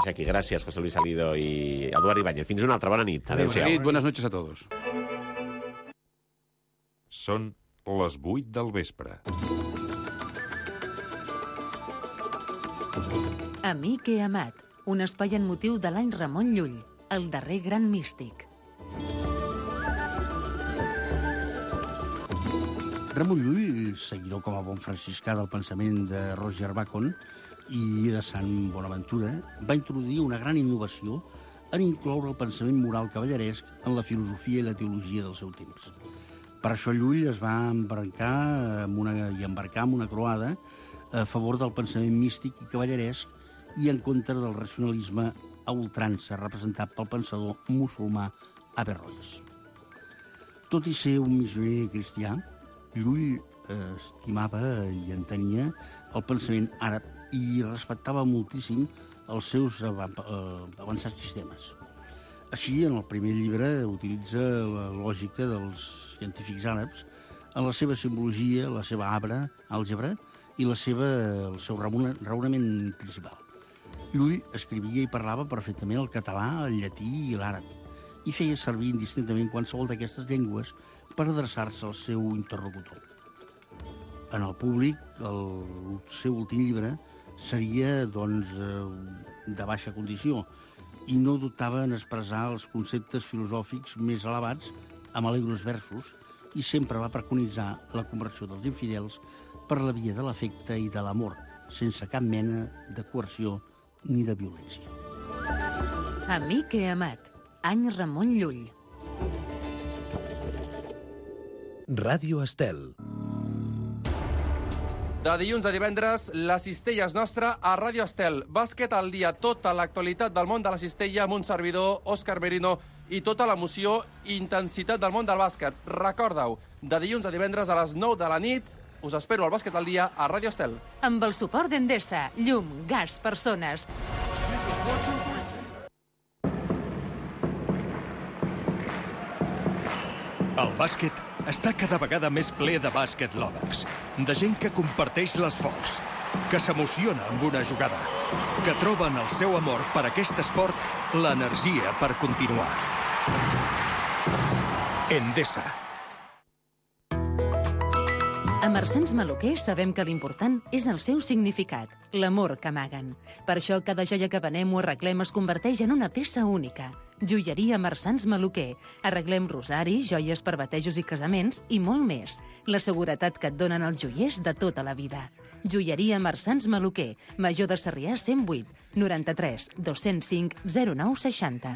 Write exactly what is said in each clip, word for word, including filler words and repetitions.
Aquí. Gràcies, José Luis Salido i Eduard Ibáñez. Fins una altra. Bona nit. Adéu-siau. Buenas noches a todos. Són les vuit del vespre. Amic i amat, un espai en motiu de l'any Ramon Llull, el darrer gran místic. Ramon Llull, seguidor com a bon franciscà del pensament de Roger Bacon i de Sant Bonaventura, va introduir una gran innovació en incloure el pensament moral cavalleresc en la filosofia i la teologia del seu temps. Per això Llull es va embarcar amb una, i embarcar amb una croada a favor del pensament místic i cavalleresc i en contra del racionalisme a ultrança representat pel pensador musulmà Averroes. Tot i ser un missioner cristià, Llull eh, estimava i entenia el pensament àrab i respectava moltíssim els seus avançats sistemes. Així, en el primer llibre, utilitza la lògica dels científics àrabs en la seva simbologia, la seva arbre, àlgebra i la seva, el seu raonament principal. Llull escrivia i parlava perfectament el català, el llatí i l'àrab i feia servir indistintament qualsevol d'aquestes llengües per adreçar-se al seu interlocutor. En el públic, el seu últim llibre seria, doncs, de baixa condició i no dubtava en expressar els conceptes filosòfics més elevats amb alegros versos i sempre va preconitzar la conversió dels infidels per la via de l'afecte i de l'amor, sense cap mena de coerció ni de violència. Amic i amat, any Ramon Llull. Ràdio Estel. De dilluns a divendres, la cistella és nostra a Ràdio Estel. Bàsquet al dia, tota l'actualitat del món de la cistella amb un servidor, Òscar Merino, i tota l'emoció i intensitat del món del bàsquet. Recorda-ho, de dilluns a divendres a les nou de la nit, us espero al Bàsquet al dia a Ràdio Estel. Amb el suport d'Endesa, llum, gas, persones. El bàsquet està cada vegada més ple de bàsquet lovers, de gent que comparteix l'esforç, que s'emociona amb una jugada, que troba en el seu amor per aquest esport l'energia per continuar. Endesa. A Marsans Maluquer sabem que l'important és el seu significat, l'amor que amaguen. Per això cada joia que venem o arreglem es converteix en una peça única. Joieria Marsans Maluquer. Arreglem rosari, joies per batejos i casaments i molt més. La seguretat que et donen els joiers de tota la vida. Joieria Marsans Maluquer. Major de Sarrià cent vuit, noranta-tres, dos-cents cinc, zero nou seixanta.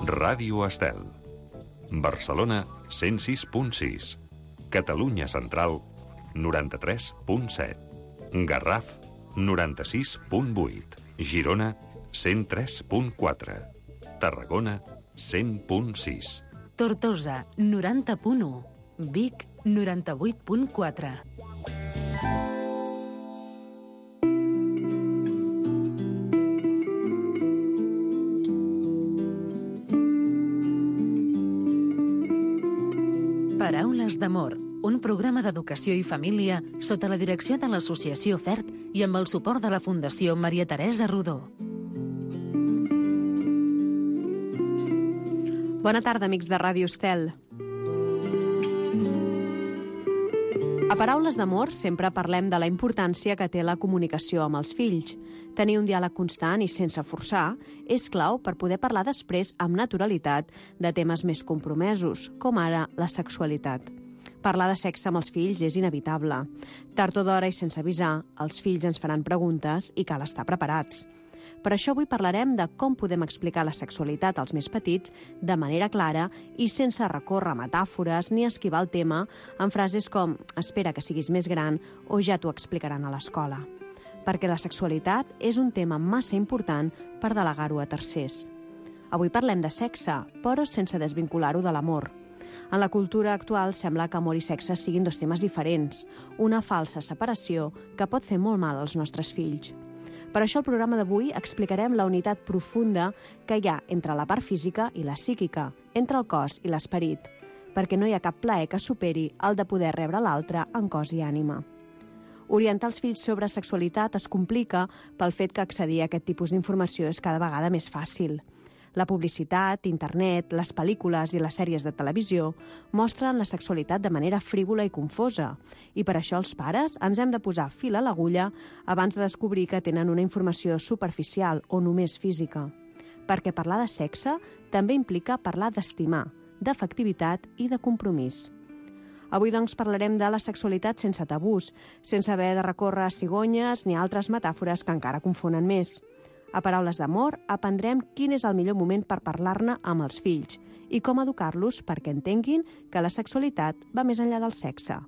Ràdio Estel. Barcelona, cent sis punt sis. Catalunya Central, noranta-tres punt set. Garraf, noranta-sis punt vuit. Girona, cent tres punt quatre. Tarragona, cent punt sis. Tortosa, noranta punt u. Vic, noranta-vuit punt quatre. Paraules d'amor, un programa d'educació i família sota la direcció de l'Associació FERT i amb el suport de la Fundació Maria Teresa Rodó. Bona tarda, amics de Ràdio Estel. A Paraules d'amor sempre parlem de la importància que té la comunicació amb els fills. Tenir un diàleg constant i sense forçar és clau per poder parlar després amb naturalitat de temes més compromesos, com ara la sexualitat. Parlar de sexe amb els fills és inevitable. Tard o d'hora i sense avisar, els fills ens faran preguntes i cal estar preparats. Per això avui parlarem de com podem explicar la sexualitat als més petits de manera clara i sense recórrer a metàfores ni esquivar el tema amb frases com «espera que siguis més gran» o «ja t'ho explicaran a l'escola». Perquè la sexualitat és un tema massa important per delegar-ho a tercers. Avui parlem de sexe, però sense desvincular-ho de l'amor. En la cultura actual sembla que amor i sexe siguin dos temes diferents, una falsa separació que pot fer molt mal als nostres fills. Per això al programa d'avui explicarem la unitat profunda que hi ha entre la part física i la psíquica, entre el cos i l'esperit, perquè no hi ha cap plaer que superi el de poder rebre l'altre en cos i ànima. Orientar els fills sobre sexualitat es complica pel fet que accedir a aquest tipus d'informació és cada vegada més fàcil. La publicitat, internet, les pel·lícules i les sèries de televisió mostren la sexualitat de manera frívola i confosa, i per això els pares ens hem de posar fil a l'agulla abans de descobrir que tenen una informació superficial o només física. Perquè parlar de sexe també implica parlar d'estimar, d'afectivitat i de compromís. Avui, doncs, parlarem de la sexualitat sense tabús, sense haver de recórrer a cigonyes ni altres metàfores que encara confonen més. A Paraules d'amor aprendrem quin és el millor moment per parlar-ne amb els fills i com educar-los perquè entenguin que la sexualitat va més enllà del sexe.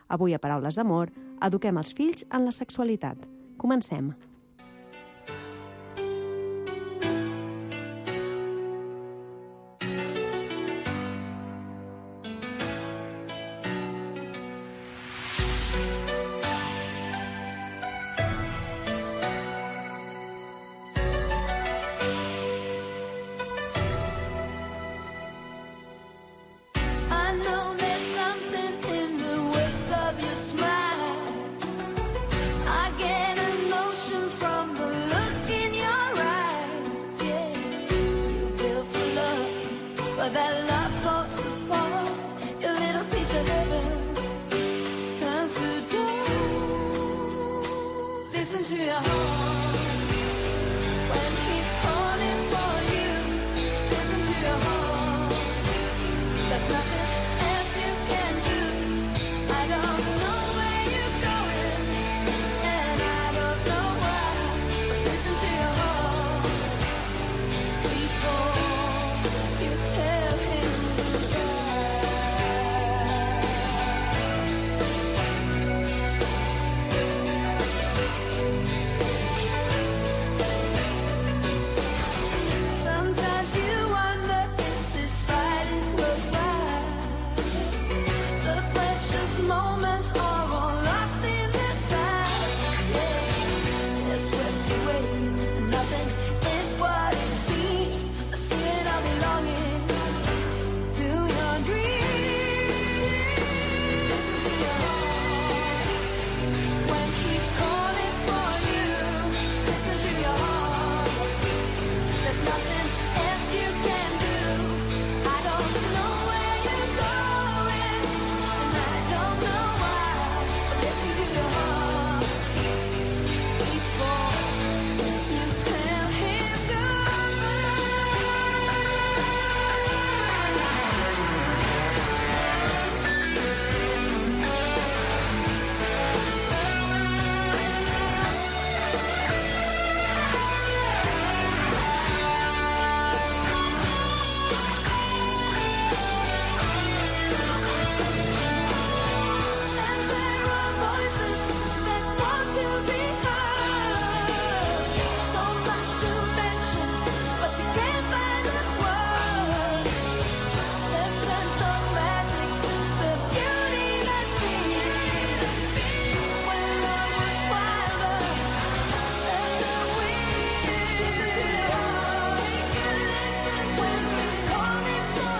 Avui, a Paraules d'amor, eduquem els fills en la sexualitat. Comencem.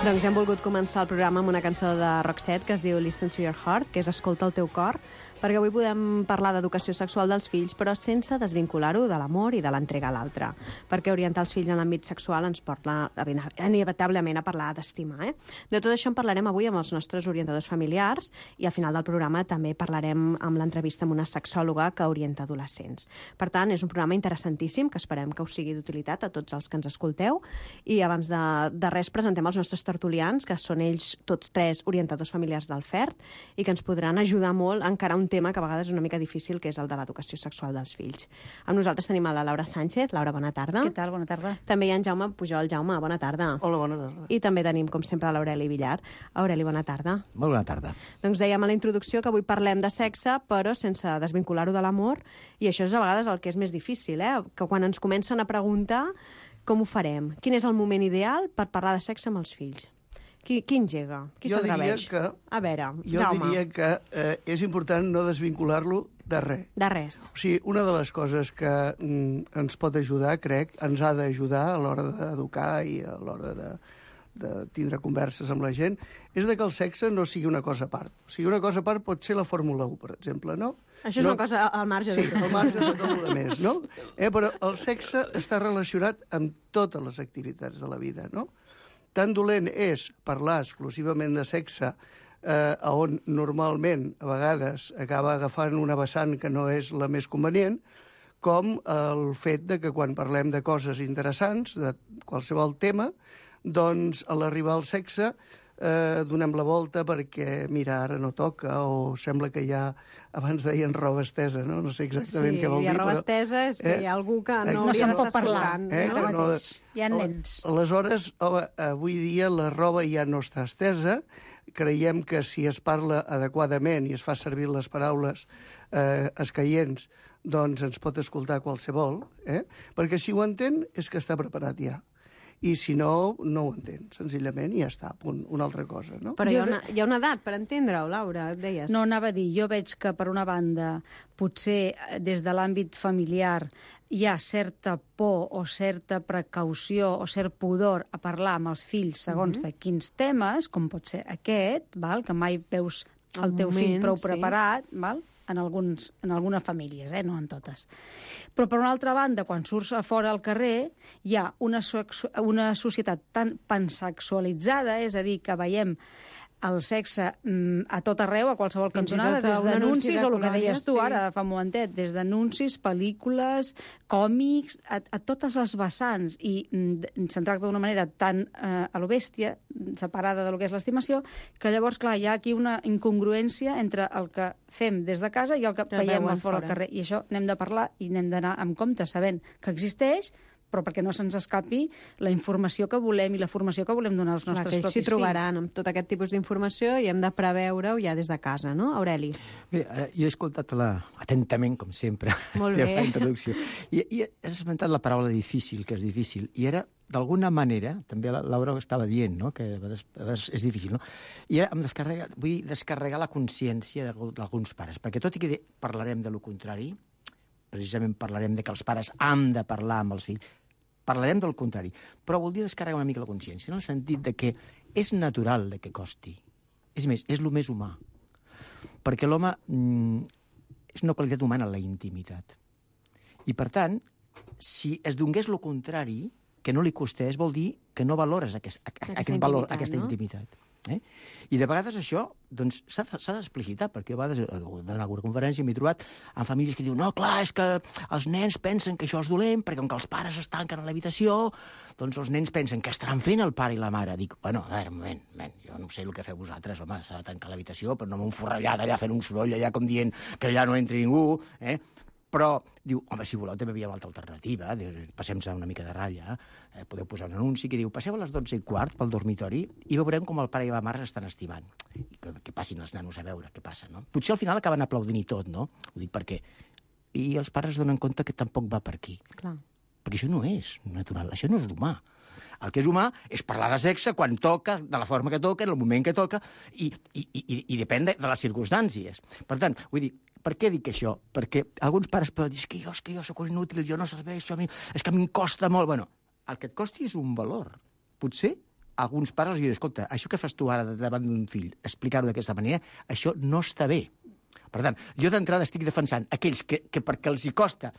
Doncs hem volgut començar el programa amb una cançó de Roxette que es diu Listen to your heart, que és Escolta el teu cor, perquè avui podem parlar d'educació sexual dels fills, però sense desvincular-ho de l'amor i de l'entrega a l'altre, perquè orientar els fills en l'àmbit sexual ens porta inevitablement a parlar d'estimar. Eh? De tot això en parlarem avui amb els nostres orientadors familiars i al final del programa també parlarem amb l'entrevista amb una sexòloga que orienta adolescents. Per tant, és un programa interessantíssim que esperem que us sigui d'utilitat a tots els que ens escolteu, i abans de, de res presentem els nostres tertulians, que són ells tots tres orientadors familiars del F E R T i que ens podran ajudar molt a encarar un tema que a vegades és una mica difícil, que és el de l'educació sexual dels fills. Amb nosaltres tenim a la Laura Sánchez. Laura, bona tarda. Què tal? Bona tarda. També hi ha en Jaume Pujol. Jaume, bona tarda. Hola, bona tarda. I també tenim, com sempre, l'Aureli Villar. Aureli, bona tarda. Molt bona tarda. Doncs dèiem a la introducció que avui parlem de sexe, però sense desvincular-ho de l'amor, i això és a vegades el que és més difícil, eh? Que quan ens comencen a preguntar com ho farem, quin és el moment ideal per parlar de sexe amb els fills. Qui, qui engega? Qui s'atreveix? Que, a veure, jo Jaume. diria que eh, és important no desvincular-lo de res. De res. O sigui, una de les coses que mm, ens pot ajudar, crec, ens ha d'ajudar a l'hora d'educar i a l'hora de, de tindre converses amb la gent, és de que el sexe no sigui una cosa a part. O sigui, una cosa a part pot ser la Fórmula u, per exemple, no? Això és no? una cosa al marge Sí, de tot. al marge de tot el més, no? Eh, però el sexe està relacionat amb totes les activitats de la vida, no? Tan dolent és parlar exclusivament de sexe eh, on normalment, a vegades, acaba agafant una vessant que no és la més convenient, com el fet de que quan parlem de coses interessants, de qualsevol tema, doncs a l'arribar al sexe eh, donem la volta perquè, mira, ara no toca, o sembla que hi ha, abans deien roba estesa, no? No sé exactament Sí, què vol hi ha dir, roba però... estesa, és que eh, hi ha algú que eh, no no hauria se'n d'estar pot parlar, escoltant, eh, no? no, mateix. Hi ha nens. Aleshores, home, avui dia la roba ja no està estesa. Creiem que si es parla adequadament i es fa servir les paraules eh, escaients, doncs ens pot escoltar qualsevol, eh? Perquè si ho entén és que està preparat ja. I si no, no ho entén, senzillament, i ja està, punt, una altra cosa, no? Però hi ha, Jo- una, hi ha una edat per entendre-ho, Laura, et deies. No, anava a dir, jo veig que, per una banda, potser eh, des de l'àmbit familiar hi ha certa por o certa precaució o cert pudor a parlar amb els fills segons de quins temes, com pot ser aquest, val? Que mai veus el El teu fill moment, prou sí. preparat, val? En, alguns, en algunes famílies, eh? No en totes. Però, per una altra banda, quan surts a fora al carrer, hi ha una, sexu- una societat tan pansexualitzada, és a dir, que veiem el sexe mm, a tot arreu, a qualsevol Fins i cantonada, tot a des un anunci d'anuncis, de o el que colònies, deies tu sí. ara, fa un momentet, des d'anuncis, pel·lícules, còmics, a, a totes les vessants, i mm, se'n tracta d'una manera tan eh, a lo bèstia, separada del que és l'estimació, que llavors, clar, hi ha aquí una incongruència entre el que fem des de casa i el que Que veiem veuen al fora al fora. carrer. I això n'hem de parlar i n'hem d'anar amb compte, sabent que existeix, però perquè no se'ns escapi la informació que volem i la formació que volem donar als Clar, nostres que ells propis s'hi trobaran fills. amb tot aquest tipus d'informació i hem de preveure-ho ja des de casa, no, Aureli? Bé, ara, jo he escoltat la, atentament, com sempre, Molt bé. la introducció. I, I has esmentat la paraula difícil, que és difícil, i era, d'alguna manera, també la Laura estava dient, no?, que a vegades, a vegades és difícil, no? I ara em descarrega, vull descarregar la consciència d'alguns pares, perquè tot i que parlarem de lo contrari, precisament parlarem de que els pares han de parlar amb els fills, parlarem del contrari, però voldria descarregar una mica la consciència, en el sentit de que és natural de que costi. És més, és el més humà. Perquè l'home mm, és una qualitat humana, la intimitat. I, per tant, si es donés el contrari, que no li costés, vol dir que no valores aquest, Aquesta aquest valor, intimitat, aquesta no? intimitat. Eh? I de vegades això doncs, s'ha de- s'ha d'explicitar, perquè a vegades en alguna conferència m'he trobat amb famílies que diuen no, clar, és que els nens pensen que això és dolent, perquè com que els pares es tanquen a l'habitació, doncs els nens pensen que estaran fent el pare i la mare. Dic, bueno, a veure, un moment, un moment, jo no sé el que feu vosaltres, home, s'ha de tancar l'habitació, però no m'ho forrellat allà fent un soroll, allà com dient que allà no entri ningú, eh? Però diu, home, si voleu també hi havia una altra alternativa, passem-se una mica de ratlla, eh, podeu posar un anunci que diu, passeu a les dotze i quart pel dormitori i veurem com el pare i la mare s'estan estimant. I que, que passin els nanos a veure què passa, no? Potser al final acaben aplaudint i tot, no? Ho dic perquè... I els pares donen compte que tampoc va per aquí. Clar. Perquè això no és natural, això no és humà. El que és humà és parlar de sexe quan toca, de la forma que toca, en el moment que toca, i, i, i, i depèn de, de les circumstàncies. Per tant, vull dir, per què dic això? Perquè alguns pares poden dir, és que jo, és que jo soc inútil, jo no serveixo a mi, és que a mi em costa molt. Bueno, el que et costi és un valor. Potser alguns pares els diuen, escolta, això que fas tu ara davant d'un fill, explicar-ho d'aquesta manera, això no està bé. Per tant, jo d'entrada estic defensant aquells que, que perquè els hi costa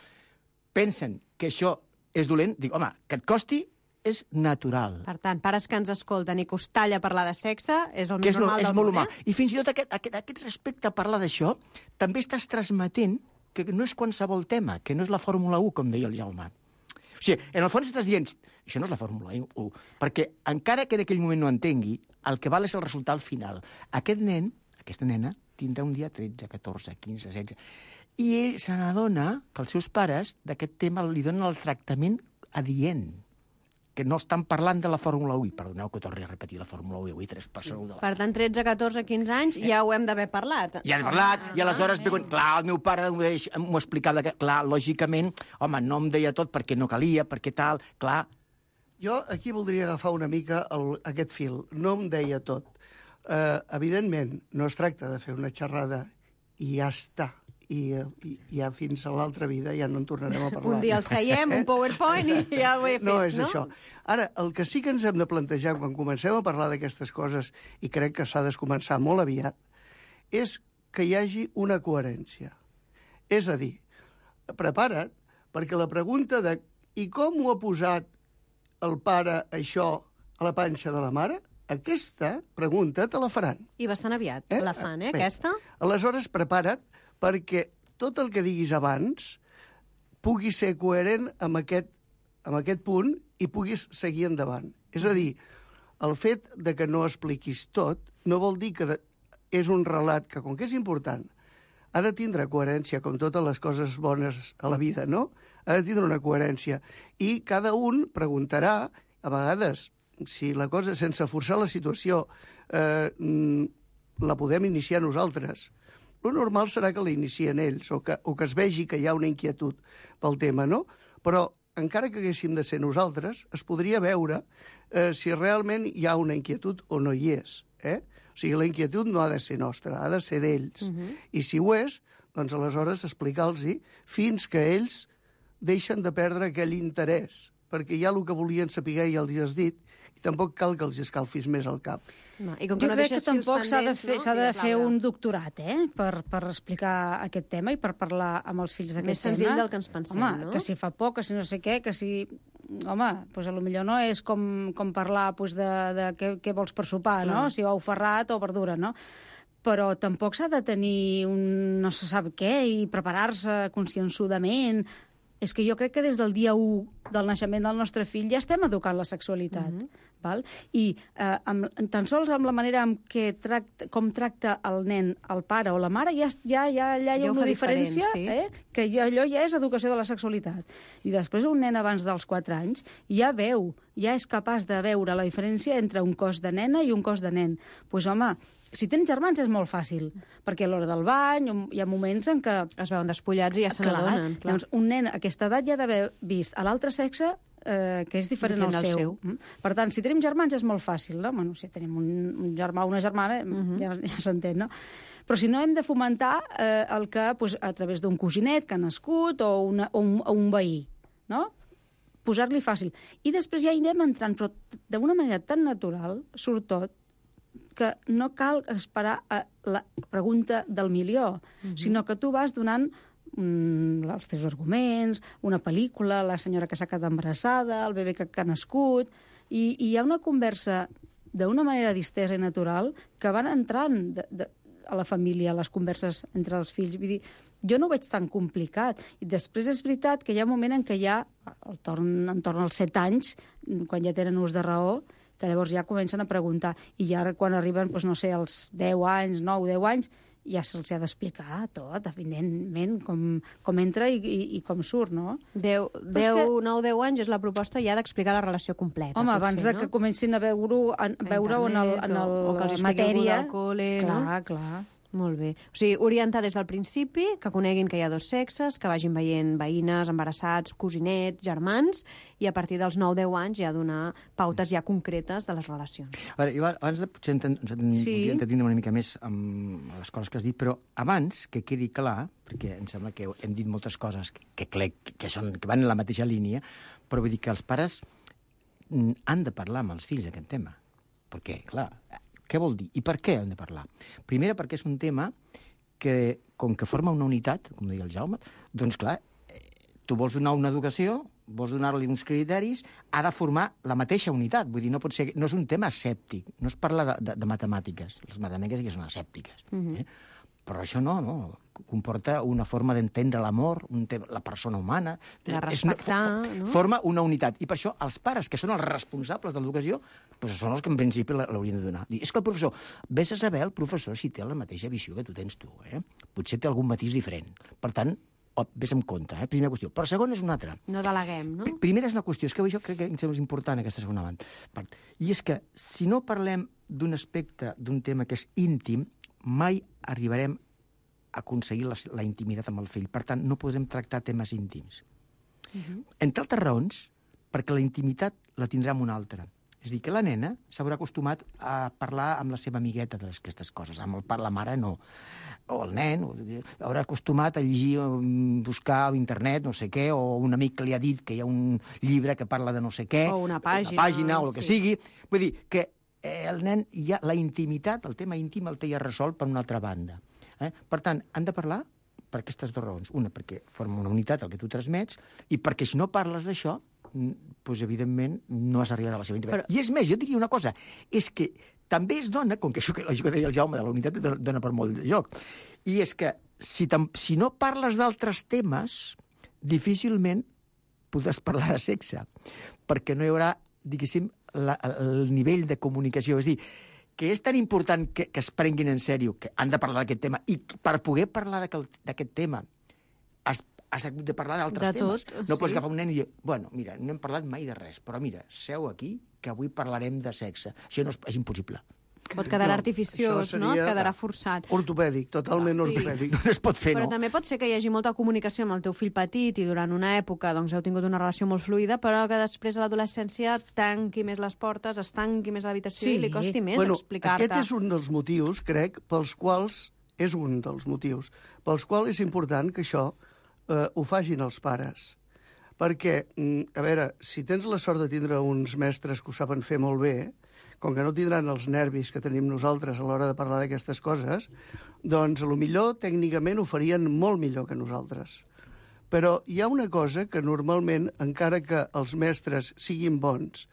pensen que això és dolent, dic, home, que et costi és natural. Per tant, pares que ens escolten i que us talla parlar de sexe és el Que més és, no, normal és del molt món, humà. eh? I fins i tot aquest, aquest, aquest respecte a parlar d'això, també estàs transmetent que no és qualsevol tema, que no és la Fórmula u, com deia el Jaume. O sigui, en el fons estàs dient, això no és la Fórmula u, perquè encara que en aquell moment no entengui, el que val és el resultat final. Aquest nen, aquesta nena, tindrà un dia tretze, catorze, quinze, setze, i ell se n'adona que els seus pares d'aquest tema li donen el tractament adient, que no estan parlant de la Fórmula u. I perdoneu que torni a repetir la Fórmula u, avui tres per segon de la... Per tant, tretze, catorze, quinze anys ja ho hem d'haver parlat. Ja hem parlat, i aleshores, ah, clar, el meu pare m'ho explicava, que, clar, lògicament, home, no em deia tot perquè no calia, perquè tal, clar... Jo aquí voldria agafar una mica el, aquest fil. No em deia tot. Uh, evidentment, no es tracta de fer una xerrada i ja està. I, i ja fins a l'altra vida ja no en tornarem a parlar. Un dia el seiem, un PowerPoint i ja ho he fet, no? No és això. Ara, el que sí que ens hem de plantejar quan comencem a parlar d'aquestes coses, i crec que s'ha de començar molt aviat, és que hi hagi una coherència. És a dir, prepara't, perquè la pregunta de i com ho ha posat el pare això a la panxa de la mare, aquesta pregunta te la faran. I bastant aviat eh? la fan, eh, Bé, aquesta? Aleshores, prepara't, perquè tot el que diguis abans pugui ser coherent amb aquest, amb aquest punt i puguis seguir endavant. És a dir, el fet de que no expliquis tot no vol dir que de, és un relat que, com que és important, ha de tindre coherència, com totes les coses bones a la vida, no? Ha de tindre una coherència. I cada un preguntarà, a vegades, si la cosa, sense forçar la situació, eh, la podem iniciar nosaltres. El normal serà que la inicien ells, o que, o que es vegi que hi ha una inquietud pel tema, no? Però, encara que haguéssim de ser nosaltres, es podria veure eh, si realment hi ha una inquietud o no hi és. Eh? O sigui, la inquietud no ha de ser nostra, ha de ser d'ells. Uh-huh. I si ho és, doncs aleshores explicar-los fins que ells deixen de perdre aquell interès, perquè ja el que volien saber ja els has dit, i tampoc cal que els escalfis més al cap. No, i com que jo no crec que tampoc s'ha de fer, no? s'ha de fer un doctorat, eh?, per, per explicar aquest tema i per parlar amb els fills d'aquest tema. Més senzill del que ens pensem, home, no? que si fa por, que si no sé què, que si... Home, doncs potser no és com, com parlar doncs, de, de què, què vols per sopar, no? Mm. Si ou ferrat o verdura, no? Però tampoc s'ha de tenir un no se sap què i preparar-se conscienzudament. És que jo crec que des del dia u del naixement del nostre fill ja estem educant la sexualitat. Mm-hmm. Val? I eh, amb, tan sols amb la manera en què tracta, com tracta el nen, el pare o la mare, ja, ja, ja, ja hi ha ja una diferència, diferent, sí. eh? Que ja, allò ja és educació de la sexualitat. I després un nen abans dels quatre anys ja veu, ja és capaç de veure la diferència entre un cos de nena i un cos de nen. Doncs pues, home, si tens germans és molt fàcil, perquè a l'hora del bany hi ha moments en què... Es veuen despullats i ja se n'adonen. Doncs un nen a aquesta edat ja ha d'haver vist a l'altre sexe eh, que és diferent al seu. seu. Mm? Per tant, si tenim germans és molt fàcil, no? Bueno, si tenim un, un germà o una germana, uh-huh. ja, ja s'entén, no? Però si no, hem de fomentar eh, el que, pues, a través d'un cosinet que ha nascut o, una, o, un, o un veí, no? Posar-li fàcil. I després ja hi anem entrant, però d'una manera tan natural surt tot, que no cal esperar a la pregunta del milió, uh-huh. sinó que tu vas donant mm, els teus arguments, una pel·lícula, la senyora que s'ha quedat embarassada, el bebè que, que ha nascut, i, i hi ha una conversa d'una manera distesa i natural que van entrant de, de, a la família, a les converses entre els fills. Vull dir, jo no ho veig tan complicat. I després és veritat que hi ha un moment en què ja, al torn, entorn als set anys, quan ja tenen ús de raó, que llavors ja comencen a preguntar. I ja quan arriben, doncs, no sé, als deu anys, nou, deu anys, ja se'ls ha d'explicar tot, evidentment, com, com entra i, i, i com surt, no? deu, nou, deu anys és la proposta ja d'explicar la relació completa. Home, potser, abans de no? que comencin a veure-ho veure en, el, en el, o, o que els matèria. Al col·le, clar, no? clar. Molt bé. O sigui, orientar des del principi, que coneguin que hi ha dos sexes, que vagin veient veïnes, embarassats, cosinets, germans, i a partir dels nou deu anys ja donar pautes ja concretes de les relacions. A veure, jo abans de potser enten, sí. entendre una mica més amb les coses que has dit, però abans que quedi clar, perquè em sembla que hem dit moltes coses que, que, que, són, que van en la mateixa línia, però vull dir que els pares han de parlar amb els fills d'aquest tema. Perquè, clar, què vol dir? I per què hem de parlar? Primera, perquè és un tema que, com que forma una unitat, com deia el Jaume, doncs clar, tu vols donar una educació, vols donar-li uns criteris, ha de formar la mateixa unitat. Vull dir, no pot ser, no és un tema escèptic, no es parla de, de, de matemàtiques. Les matemàtiques ja són escèptiques. Mm-hmm. eh? Però això no, no. Comporta una forma d'entendre l'amor, un la persona humana. De respectar, és, no? Forma una unitat. I per això els pares, que són els responsables de l'educació, doncs són els que en principi l'haurien de donar. És que el professor, vés a saber el professor si té la mateixa visió que tu tens tu. Eh? Potser té algun matís diferent. Per tant, vés amb compte, eh? Primera qüestió. Però segona és una altra. No deleguem, no? Primera és una qüestió, és que jo crec que és important aquesta segona part. I és que si no parlem d'un aspecte, d'un tema que és íntim, mai arribarem a aconseguir la, la intimitat amb el fill. Per tant, no podrem tractar temes íntims. Uh-huh. Entre altres raons, perquè la intimitat la tindrà amb una altra. És a dir, que la nena s'haurà acostumat a parlar amb la seva amigueta d'aquestes coses. Amb el, la mare no. O el nen o, haurà acostumat a llegir, buscar a internet, no sé què, o un amic que li ha dit que hi ha un llibre que parla de no sé què. O una pàgina. Una pàgina, o el que sí. sigui. Vull dir que eh, el nen, ja, la intimitat, el tema íntim el té ja resolt per una altra banda. Eh? Per tant, han de parlar per aquestes dues raons. Una, perquè forma una unitat el que tu transmets, i perquè si no parles d'això, doncs, evidentment, no has arribat a la seva intimitat. Però... I és més, jo diria una cosa, és que també es dona, com que això que, que deia el Jaume de la unitat dona per molt de joc, i és que si, si no parles d'altres temes, difícilment podràs parlar de sexe, perquè no hi haurà, diguéssim, la, el nivell de comunicació. És a dir, que és tan important que, que es prenguin en sèrio, que han de parlar d'aquest tema, i per poder parlar d'aquest tema has, has hagut de parlar d'altres temes. Tot, no sí. Pots agafar un nen i dir, bueno, mira, no hem parlat mai de res, però mira, seu aquí, que avui parlarem de sexe. Això no és, és impossible. Pot quedar no, artificiós, no? Quedarà forçat. Ortopèdic, totalment sí. ortopèdic. No es pot fer, Però no? també pot ser que hi hagi molta comunicació amb el teu fill petit i durant una època doncs, heu tingut una relació molt fluida, però que després a l'adolescència tanqui més les portes, es tanqui més l'habitació sí. i li costi més bueno, explicar-te. Aquest és un dels motius, crec, pels quals és un dels motius pels quals és important que això eh, ho facin els pares. Perquè, a veure, si tens la sort de tindre uns mestres que ho saben fer molt bé, com que no tindran els nervis que tenim nosaltres a l'hora de parlar d'aquestes coses, doncs a lo millor tècnicament ho farien molt millor que nosaltres. Però hi ha una cosa que normalment, encara que els mestres siguin bons,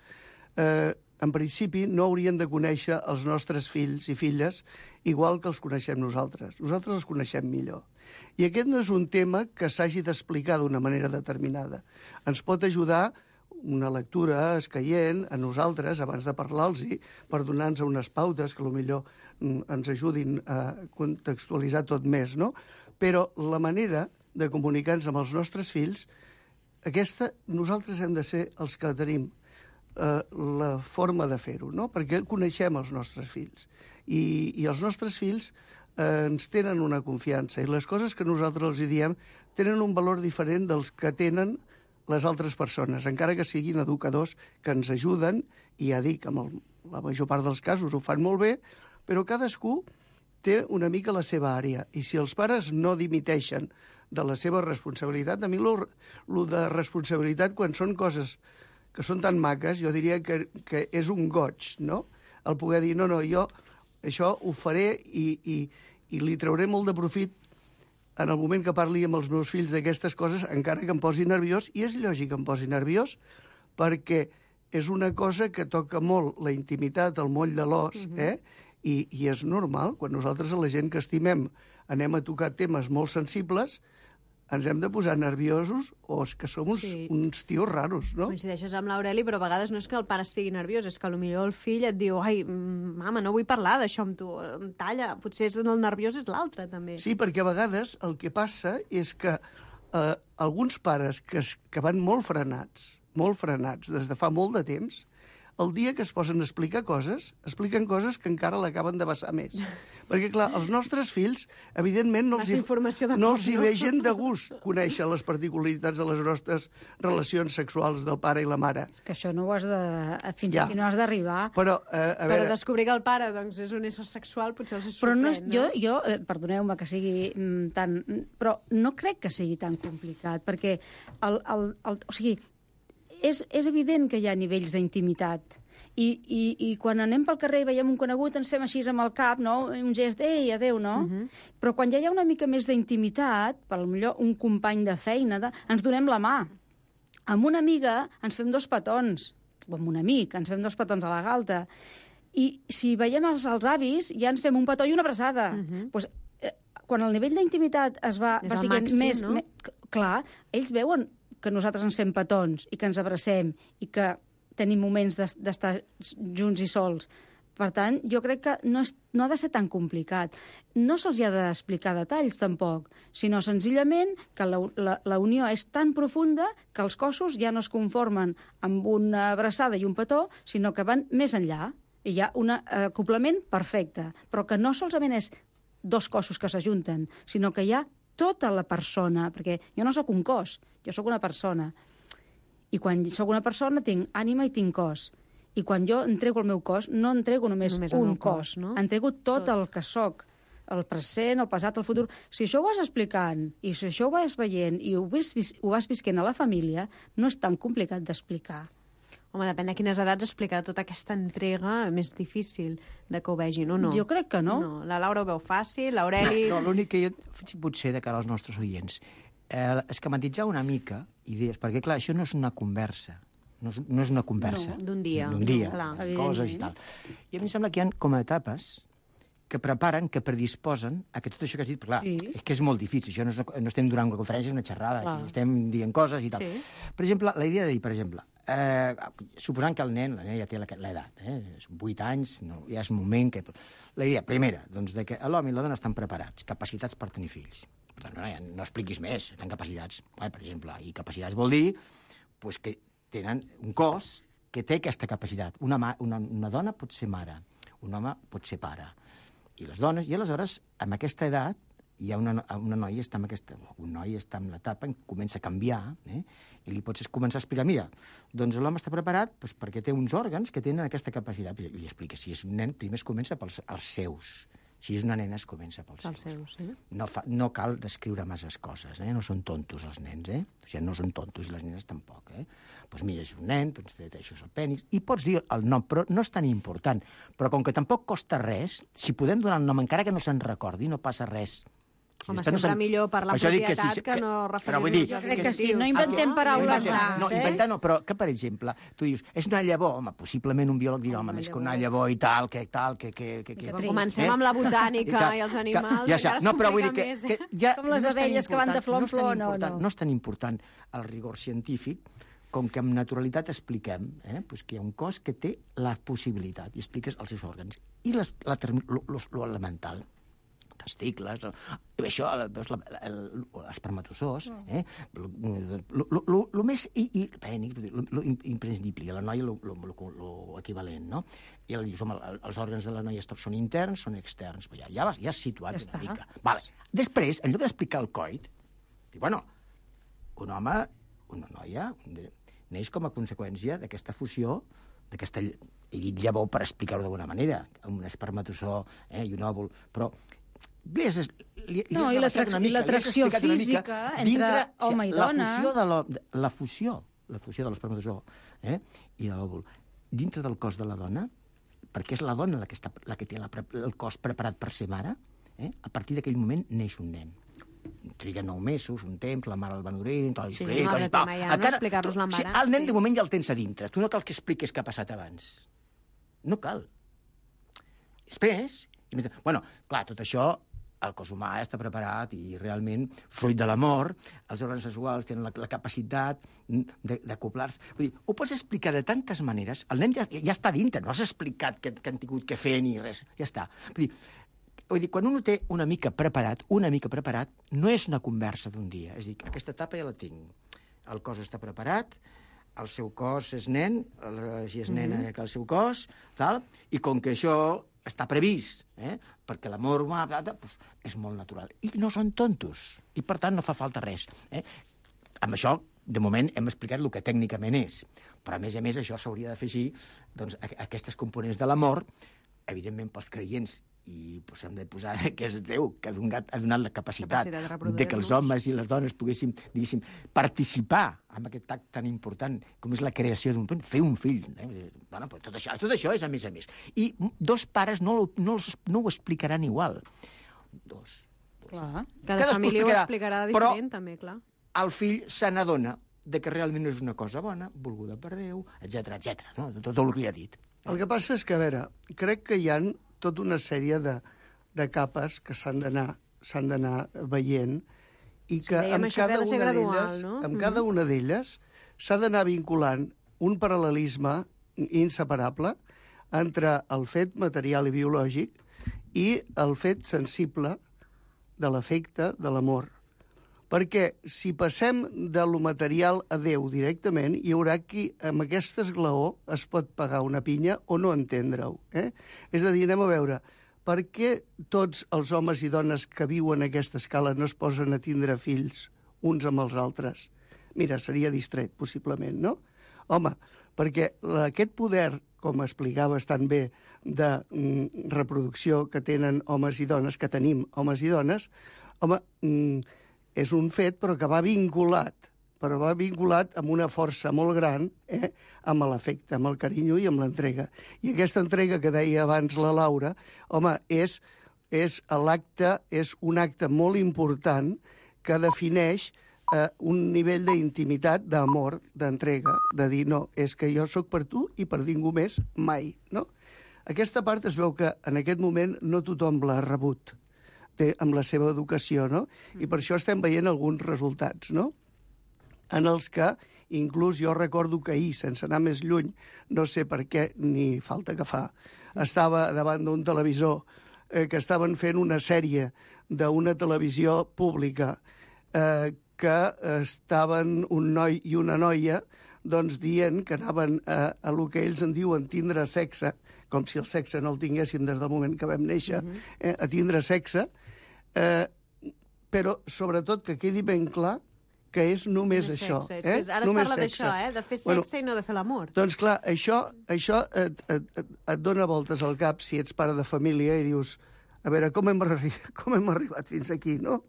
eh, en principi no haurien de conèixer els nostres fills i filles igual que els coneixem nosaltres. Nosaltres els coneixem millor. I aquest no és un tema que s'hagi d'explicar d'una manera determinada. Ens pot ajudar una lectura escaient a nosaltres abans de parlar-los per donar-nos unes pautes que potser ens ajudin a contextualitzar tot més, no? Però la manera de comunicar-nos amb els nostres fills, aquesta nosaltres hem de ser els que tenim eh, la forma de fer-ho, no? Perquè coneixem els nostres fills i, i els nostres fills eh, ens tenen una confiança i les coses que nosaltres els diem tenen un valor diferent dels que tenen les altres persones, encara que siguin educadors que ens ajuden, i ja dic, amb el, la major part dels casos ho fan molt bé, però cadascú té una mica la seva àrea, i si els pares no dimiteixen de la seva responsabilitat, a mi lo, lo de responsabilitat, quan són coses que són tan maques, jo diria que, que és un goig, no? El poder dir, no, no, jo això ho faré i, i, i li trauré molt de profit en el moment que parli amb els meus fills d'aquestes coses, encara que em posi nerviós, i és lògic que em posi nerviós, perquè és una cosa que toca molt la intimitat, el moll de l'os, uh-huh. eh? I, i és normal, quan nosaltres a la gent que estimem anem a tocar temes molt sensibles, ens hem de posar nerviosos o és que som uns, sí. uns tios raros, no? Coincideixes amb l'Aureli, però a vegades no és que el pare estigui nerviós, és que potser el fill et diu ai, mama, no vull parlar d'això amb tu, em talla. Potser és el nerviós és l'altre, també. Sí, perquè a vegades el que passa és que eh, alguns pares que, es, que van molt frenats, molt frenats des de fa molt de temps, el dia que es posen a explicar coses, expliquen coses que encara l'acaben de vessar més. Perquè, clar, els nostres fills, evidentment, no els, hi, no els hi vegen de gust conèixer les particularitats de les nostres relacions sexuals del pare i la mare. Que això no ho has de... Fins ja. Aquí no has d'arribar. Però, eh, a veure... Però descobrir que el pare doncs, és un ésser sexual potser els sorprèn, però no? És, no? Jo, jo eh, perdoneu-me que sigui mm, tan... Però no crec que sigui tan complicat, perquè el, el, el, o sigui, és, és evident que hi ha nivells d'intimitat. I, i, I quan anem pel carrer i veiem un conegut ens fem així amb el cap, no? Un gest, ei, adéu, no? Uh-huh. Però quan ja hi ha una mica més d'intimitat, potser un company de feina, de, ens donem la mà. Amb una amiga ens fem dos petons, o amb un amic ens fem dos petons a la galta. I si veiem els, els avis, ja ens fem un petó i una abraçada. Uh-huh. Pues, eh, quan el nivell d'intimitat es va, va siguent màxim, més... No? més clar, ells veuen que nosaltres ens fem petons i que ens abracem i que tenim moments d'estar junts i sols. Per tant, jo crec que no, és, no ha de ser tan complicat. No se'ls ha d'explicar detalls, tampoc, sinó senzillament que la, la, la unió és tan profunda que els cossos ja no es conformen amb una abraçada i un petó, sinó que van més enllà. I hi ha un acoplament perfecte, però que no solament és dos cossos que s'ajunten, sinó que hi ha tota la persona, perquè jo no sóc un cos, jo sóc una persona. I quan sóc una persona tinc ànima i tinc cos. I quan jo entrego el meu cos, no entrego només, només un cos, cos no? Entrego tot, tot el que sóc, el present, el passat, el futur. Si això ho vas explicant, i si això ho vas veient, i ho vas, ho vas visquent a la família, no és tan complicat d'explicar. Home, depèn de quines edats explicar tota aquesta entrega més difícil de que ho vegin, o no? Jo crec que no. No, la Laura ho veu fàcil, l'Aureli... No, l'únic que jo, potser de cara als nostres oients, eh, esquematitzar una mica idees, perquè, clar, això no és una conversa, no és, no és una conversa. No, d'un dia. D'un dia, No, clar, de coses i tal. I a mi em sembla que hi ha com a etapes que preparen, que predisposen a que tot això que has dit, clar, Sí. és que és molt difícil, això no, és una, no estem durant una conferència, és una xerrada, Clar. aquí estem dient coses i tal. Sí. Per exemple, la idea de dir, per exemple, eh, suposant que el nen, la nena ja té la- l'edat, eh, és vuit anys, no, ja és moment que... La idea, primera, doncs, de que l'home i la dona estan preparats, capacitats per tenir fills. Per tant, no, ja no expliquis més, tenen capacitats. Eh, per exemple, i capacitats vol dir pues, que tenen un cos que té aquesta capacitat. Una, ma, una, una dona pot ser mare, un home pot ser pare. I les dones, i aleshores, amb aquesta edat, hi ha una, una noia està en aquesta, un noi està en l'etapa en què comença a canviar, eh? I li pots començar a explicar, mira, doncs l'home està preparat doncs, perquè té uns òrgans que tenen aquesta capacitat. I li explica, si és un nen, primer es comença pels els seus. Si és una nena, es comença pels Els seus, sí. No, fa, no cal descriure masses coses, eh? No són tontos els nens, eh? O sigui, no són tontos i les nenes tampoc, eh? Doncs mira, és un nen, doncs això és el penis, i pots dir el nom, però no és tan important. Però com que tampoc costa res, si podem donar el nom, encara que no se'n recordi, no passa res. Home, Després sempre se'n- millor parlar Per això dic propietat sí, que no però vull dir, referir-nos als crec que sí, adjectius. no inventem Ah, paraules inventem. rares, no, eh? inventar no, però que, per exemple, tu dius, és una llavor, home, possiblement un biòleg dirà, home, Una més que una llavor. llavor i tal, que tal, que... que, que, que Que Quan trist, comencem eh? amb la botànica que- i els que- animals, ja encara sap, no, es però vull dir complica que, més, que eh? ja Com les no és tan abelles que van de important- flor en no és tan flor, no, important- no. No és tan important el rigor científic com que amb naturalitat expliquem eh, pues que hi ha un cos que té la possibilitat i expliques els seus òrgans. I les, la, lo, lo, lo elemental, testicles, i això, veus, l'espermatozoos, eh? El més i, i, pènic, lo imprescindible, i a la noia lo equivalent, no? I ella dius, home, els òrgans de la noia són interns, són externs, ja, ja, vas, ja has situat Ja una està. mica. Vale. Després, en lloc d'explicar el coit, diu, bueno, un home, una noia, neix com a conseqüència d'aquesta fusió, d'aquesta, he dit llavor per explicar-ho d'alguna manera, un espermatozoo eh, i un òvul, però li has, li, li No, has i rebaixat l'atrac- una mica, i l'atracció li has explicat una mica física entre home i la dona. Fusió de la, la fusió, la fusió de l'espermatozoo eh, i de l'òvul dintre del cos de la dona, perquè és la dona la que, està, la que té la, el cos preparat per ser mare, eh, a partir d'aquell moment neix un nen. Triga nou mesos, un temps, la mare el va nodrint, tal, Sí, explica, no, i tal. tema ja, no? Encara- Explicar-los tu- l'embaràs, sí, el nen sí. de moment ja el tens a dintre. Tu no cal que expliquis què ha passat abans. No cal. Després, bueno, clar, tot això, el cos humà està preparat i realment, fruit de l'amor, els òrgans sexuals tenen la, la capacitat de- d'acoplar-se. Vull dir, ho pots explicar de tantes maneres. El nen ja, ja està dintre, no has explicat que, que han tingut que fer ni res. Ja està. Vull dir, vull dir, quan un ho té una mica preparat, una mica preparat, no és una conversa d'un dia. És a dir, aquesta etapa ja la tinc. El cos està preparat, el seu cos és nen, el- si és nena Mhm. que el seu cos, tal, i com que això està previst, eh? perquè l'amor humà doncs, és molt natural. I no són tontos, i per tant no fa falta res. Eh? Amb això, de moment, hem explicat el que tècnicament és, però a més a més això s'hauria d'afegir doncs, a- aquestes components de l'amor, evidentment pels creients, i pues, hem de posar que és Déu, que ha donat, ha donat la capacitat, Capacitat de de reproduir-nos. que els homes i les dones poguéssim, diguéssim, participar en aquest acte tan important com és la creació d'un fill, fer un fill. Eh? Bueno, pues tot, això, tot això és a més a més. I dos pares no, lo- no, els- no ho explicaran igual. Dos. Clar. Cada Cadascú família ho explicarà, explicarà però- diferent, també, clar. El fill se n'adona de que realment no és una cosa bona, volguda per Déu, etcètera, etcètera. No? Tot, tot el que li ha dit. El que passa és que, a veure, crec que hi ha tota una sèrie de, de capes que s'han d'anar s'han d'anar veient i que dèiem amb això, que ha cada de ser una gradual, d'elles no? amb Mhm. cada una d'elles s'ha d'anar vinculant un paral·lelisme inseparable entre el fet material i biològic i el fet sensible de l'afecte, de l'amor. Perquè si passem de lo material a Déu directament, hi haurà qui amb aquest esglaó es pot pagar una pinya o no entendre-ho. Eh? És a dir, anem a veure, per què tots els homes i dones que viuen a aquesta escala no es posen a tindre fills uns amb els altres? Mira, seria distret, possiblement, no? Home, perquè la- aquest poder, com explicaves tan bé, de mm, reproducció que tenen homes i dones, que tenim homes i dones, home, mm, és un fet, però que va vinculat però va vinculat amb una força molt gran, eh, amb l'afecte, amb el carinyo i amb l'entrega. I aquesta entrega que deia abans la Laura, home, és, és l'acte, és un acte molt important que defineix eh, un nivell d'intimitat, d'amor, d'entrega, de dir, no, és que jo sóc per tu i per ningú més mai, no? Aquesta part es veu que en aquest moment no tothom l'ha rebut té, amb la seva educació, no? I per això estem veient alguns resultats, no? En els que, inclús jo recordo que ahir, sense anar més lluny, no sé per què, ni falta que fa, estava davant d'un televisor eh, que estaven fent una sèrie d'una televisió pública eh, que estaven un noi i una noia doncs dient que anaven a, a lo que ells en diuen tindre sexe, com si el sexe no el tinguéssim des del moment que vam néixer, eh, a tindre sexe, eh, però sobretot que quedi ben clar que és només, només això. Sexe. Eh? És que ara només es parla sexe. d'això, eh? De fer sexe bueno, i no de fer l'amor. Doncs clar, això, això et, et, et, et dona voltes al cap si ets pare de família i dius, a veure, com hem, com hem arribat fins aquí, no?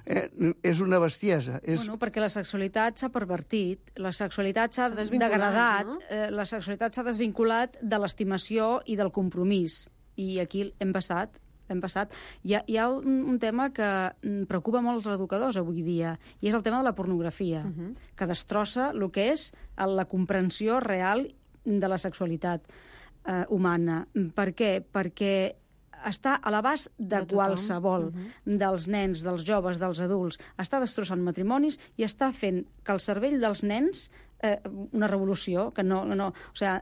Eh, és una bestiesa. És... Bueno, perquè la sexualitat s'ha pervertit, la sexualitat s'ha desvinculat, degradat, no? eh, la sexualitat s'ha desvinculat de l'estimació i del compromís. I aquí hem passat, hem passat. Hi ha, hi ha un, un tema que preocupa molt els educadors avui dia, i és el tema de la pornografia, uh -huh. que destrossa el que és la comprensió real de la sexualitat eh, humana. Per què? Perquè està a l'abast de, de qualsevol, uh -huh. dels nens, dels joves, dels adults. Està destrossant matrimonis i està fent que el cervell dels nens, eh, una revolució, que no... no o sigui,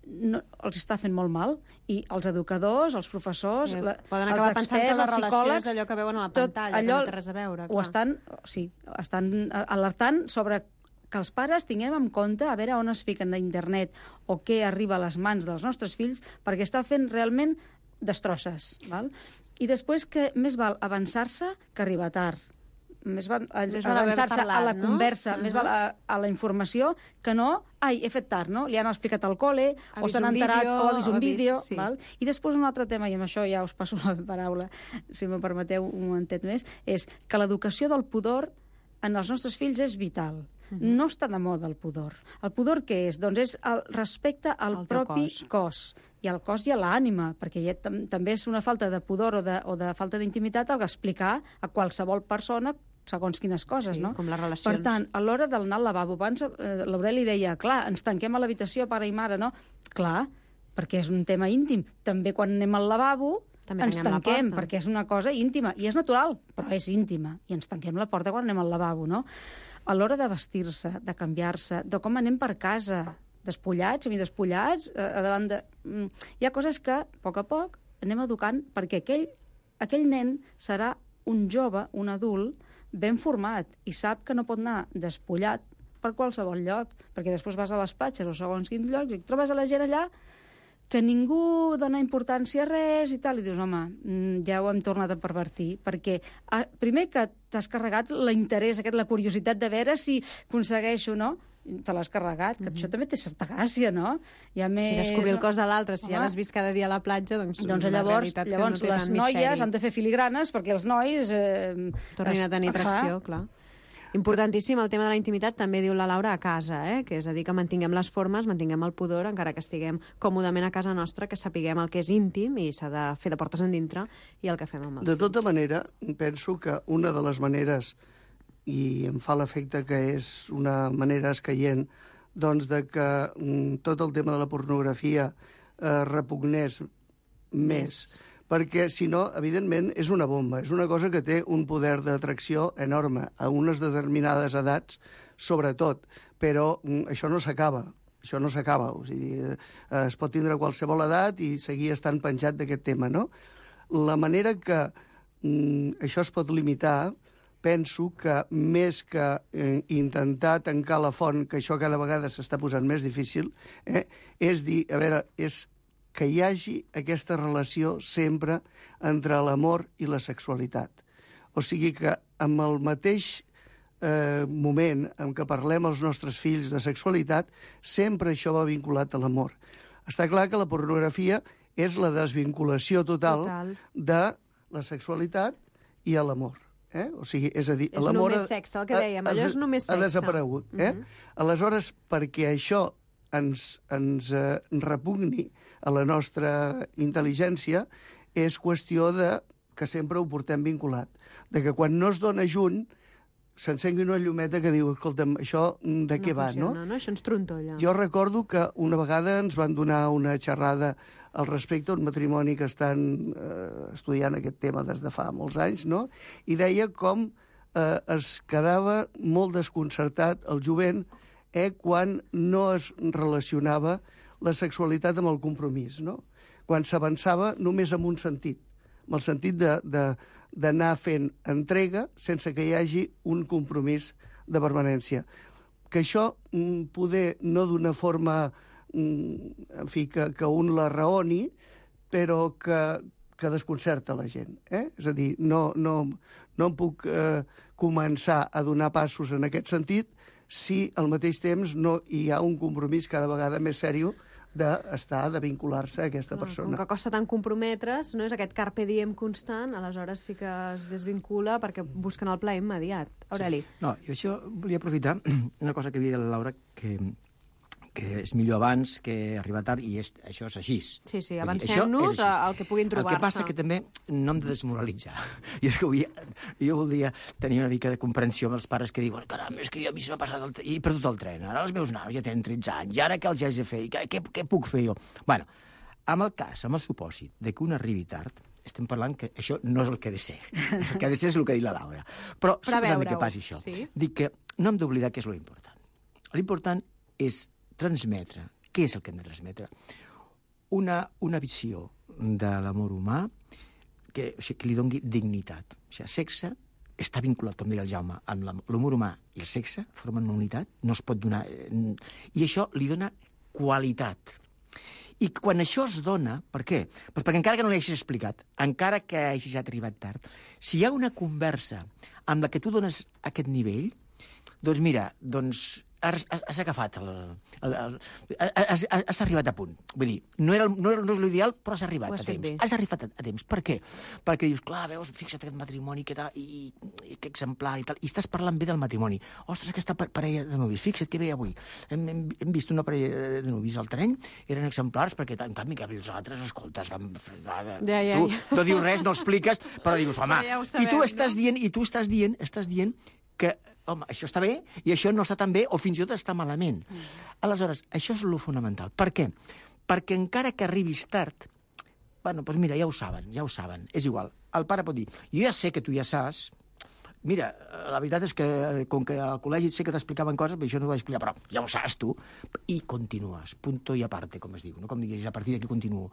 no, els està fent molt mal, i els educadors, els professors, sí, la, poden els acabar experts, pensant que la els psicòlegs... és allò que veuen a la pantalla, allò, que no té res a veure. Ho clar. estan, sí, estan alertant sobre que els pares tinguem en compte a veure on es fiquen d'internet o què arriba a les mans dels nostres fills, perquè està fent realment destrosses, val? I després que més val avançar-se que arribar tard. Més val, més val avançar-se parlat, a la no? conversa, Uh-huh. més val a, a la informació que no, ai, he fet tard, no? Li han explicat al col·le, ha o s'han enterat, vídeo, o ha vist un vídeo, vist, sí. val? I després un altre tema, i amb això ja us passo la paraula, si me permeteu un momentet més, és que l'educació del pudor en els nostres fills és vital. Uh-huh. No està de moda el pudor. El pudor què és? Doncs és el respecte al el propi cos. cos. I al cos i a l'ànima, perquè ja tam també és una falta de pudor o de, o de falta d'intimitat el explicar a qualsevol persona segons quines coses, sí, no? com les relacions. Per tant, a l'hora d'anar al lavabo, abans eh, l'Aureli deia, clar, ens tanquem a l'habitació, pare i mare, no? Clar, perquè és un tema íntim. També quan anem al lavabo També ens tanquem, la perquè és una cosa íntima. I és natural, però és íntima. I ens tanquem la porta quan anem al lavabo, no? A l'hora de vestir-se, de canviar-se, de com anem per casa, despullats, semidespullats, eh, a davant de... Hi ha coses que, a poc a poc, anem educant perquè aquell, aquell nen serà un jove, un adult, ben format, i sap que no pot anar despullat per qualsevol lloc, perquè després vas a les platges o segons quins llocs i et trobes a la gent allà que ningú dona importància a res i tal, i dius, home, ja ho hem tornat a pervertir, perquè ah, primer que t'has carregat l'interès, aquest, la curiositat de veure si aconsegueixo, no? Te l'has carregat, que mm-hmm. això també té certa gràcia, no? Ja més... Si descobrir el cos de l'altre, si Home. ja l'has vist cada dia a la platja, doncs, doncs la llavors, realitat llavors que no té les tant noies misteri. han de fer filigranes perquè els nois... Eh, tornin a tenir atracció, clar. Importantíssim el tema de la intimitat, també diu la Laura, a casa, eh? Que és a dir, que mantinguem les formes, mantinguem el pudor, encara que estiguem còmodament a casa nostra, que sapiguem el que és íntim i s'ha de fer de portes endintre i el que fem amb els De tota manera, penso que una de les maneres, i em fa l'efecte que és una manera escaient, doncs de que mm, tot el tema de la pornografia eh, repugnés més. Perquè, si no, evidentment, és una bomba. És una cosa que té un poder d'atracció enorme a unes determinades edats, sobretot. Però mm, això no s'acaba. Això no s'acaba. O sigui, eh, es pot tindre a qualsevol edat i seguir estant penjat d'aquest tema, no? La manera que mm, això es pot limitar, penso que més que eh, intentar tancar la font, que això cada vegada s'està posant més difícil, eh, és dir, a veure, és que hi hagi aquesta relació sempre entre l'amor i la sexualitat. O sigui que amb el mateix eh, moment en què parlem als nostres fills de sexualitat, sempre això va vinculat a l'amor. Està clar que la pornografia és la desvinculació total, total. de la sexualitat i a l'amor. Eh? O sigui, és a dir, És l'amor... només sexe, el que dèiem, allò és només sexe. Ha desaparegut, eh? Mhm. Aleshores, perquè això ens, ens eh, repugni a la nostra intel·ligència, és qüestió de que sempre ho portem vinculat. De que quan no es dona junt, s'encengui una llumeta que diu, escolta'm, això de què no va, funciona, no? no? Això ens trontolla. Jo recordo que una vegada ens van donar una xerrada al respecte, un matrimoni que estan eh, estudiant aquest tema des de fa molts anys, no? I deia com eh, es quedava molt desconcertat el jovent eh, quan no es relacionava la sexualitat amb el compromís, no? Quan s'avançava només en un sentit, amb el sentit de, de, d'anar fent entrega sense que hi hagi un compromís de permanència. Que això mm, poder no d'una forma en fi, que, que un la raoni, però que, que desconcerta la gent. Eh? És a dir, no, no, no em puc eh, començar a donar passos en aquest sentit si al mateix temps no hi ha un compromís cada vegada més sèrio d'estar, de vincular-se a aquesta persona. Com que costa tant comprometre's, no és aquest carpe diem constant, aleshores sí que es desvincula perquè busquen el plaer immediat. Aureli. Sí. No, jo això volia aprofitar una cosa que havia dit la Laura, que que és millor abans que arribar tard, i és, això és així. Sí, sí, avancem-nos al que puguin trobar-se. El que passa que també no hem de desmoralitzar. Jo, és que vull, jo voldria tenir una mica de comprensió amb els pares que diuen, caram, és que jo a mi se m'ha passat el i he perdut el tren, ara els meus nanos ja tenen tretze anys, i ara què els haig de fer? Què, què, què puc fer jo? Bueno, amb el cas, amb el supòsit de que un arribi tard, estem parlant que això no és el que ha de ser. El que ha de ser és el que ha dit la Laura. Però, Però suposant que passi això, sí? Dic que no hem d'oblidar què és l'important. L'important és transmetre. Què és el que hem de transmetre? Una, una visió de l'amor humà que, o sigui, que li doni dignitat. O sigui, sexe està vinculat, com deia el Jaume, amb l'amor humà i el sexe, formen una unitat, no es pot donar... I això li dona qualitat. I quan això es dona, per què? Pues perquè encara que no l'hagis explicat, encara que hagis arribat tard, si hi ha una conversa amb la que tu dones aquest nivell, doncs mira, doncs has, has agafat el, el, el, has, has arribat a punt. Vull dir, no era, no era no és l'ideal, però has arribat a temps. Bé. Has arribat a, a temps. Per què? Perquè dius, clar, veus, fixa't aquest matrimoni, que tal, i, i que exemplar i tal, i estàs parlant bé del matrimoni. Ostres, aquesta parella de novis, fixa't que bé avui. Hem, hem, hem vist una parella de novis al tren, eren exemplars, perquè en canvi que els altres, escoltes, amb... ja, ja, tu ja. no dius res, no expliques, però dius, home, ja sabem, i tu estàs no? dient, i tu estàs dient, estàs dient que, home, això està bé i això no està tan bé o fins i tot està malament. Mm. Aleshores, això és lo fonamental. Per què? Perquè encara que arribis tard, bueno, doncs mira, ja ho saben, ja ho saben, és igual. El pare pot dir, jo ja sé que tu ja saps, mira, la veritat és que com que al col·legi sé que t'explicaven coses, però això no t'ho vaig explicar, però ja ho saps tu, i continues, punto i aparte, com es diu, no? Com diguis, a partir d'aquí continuo.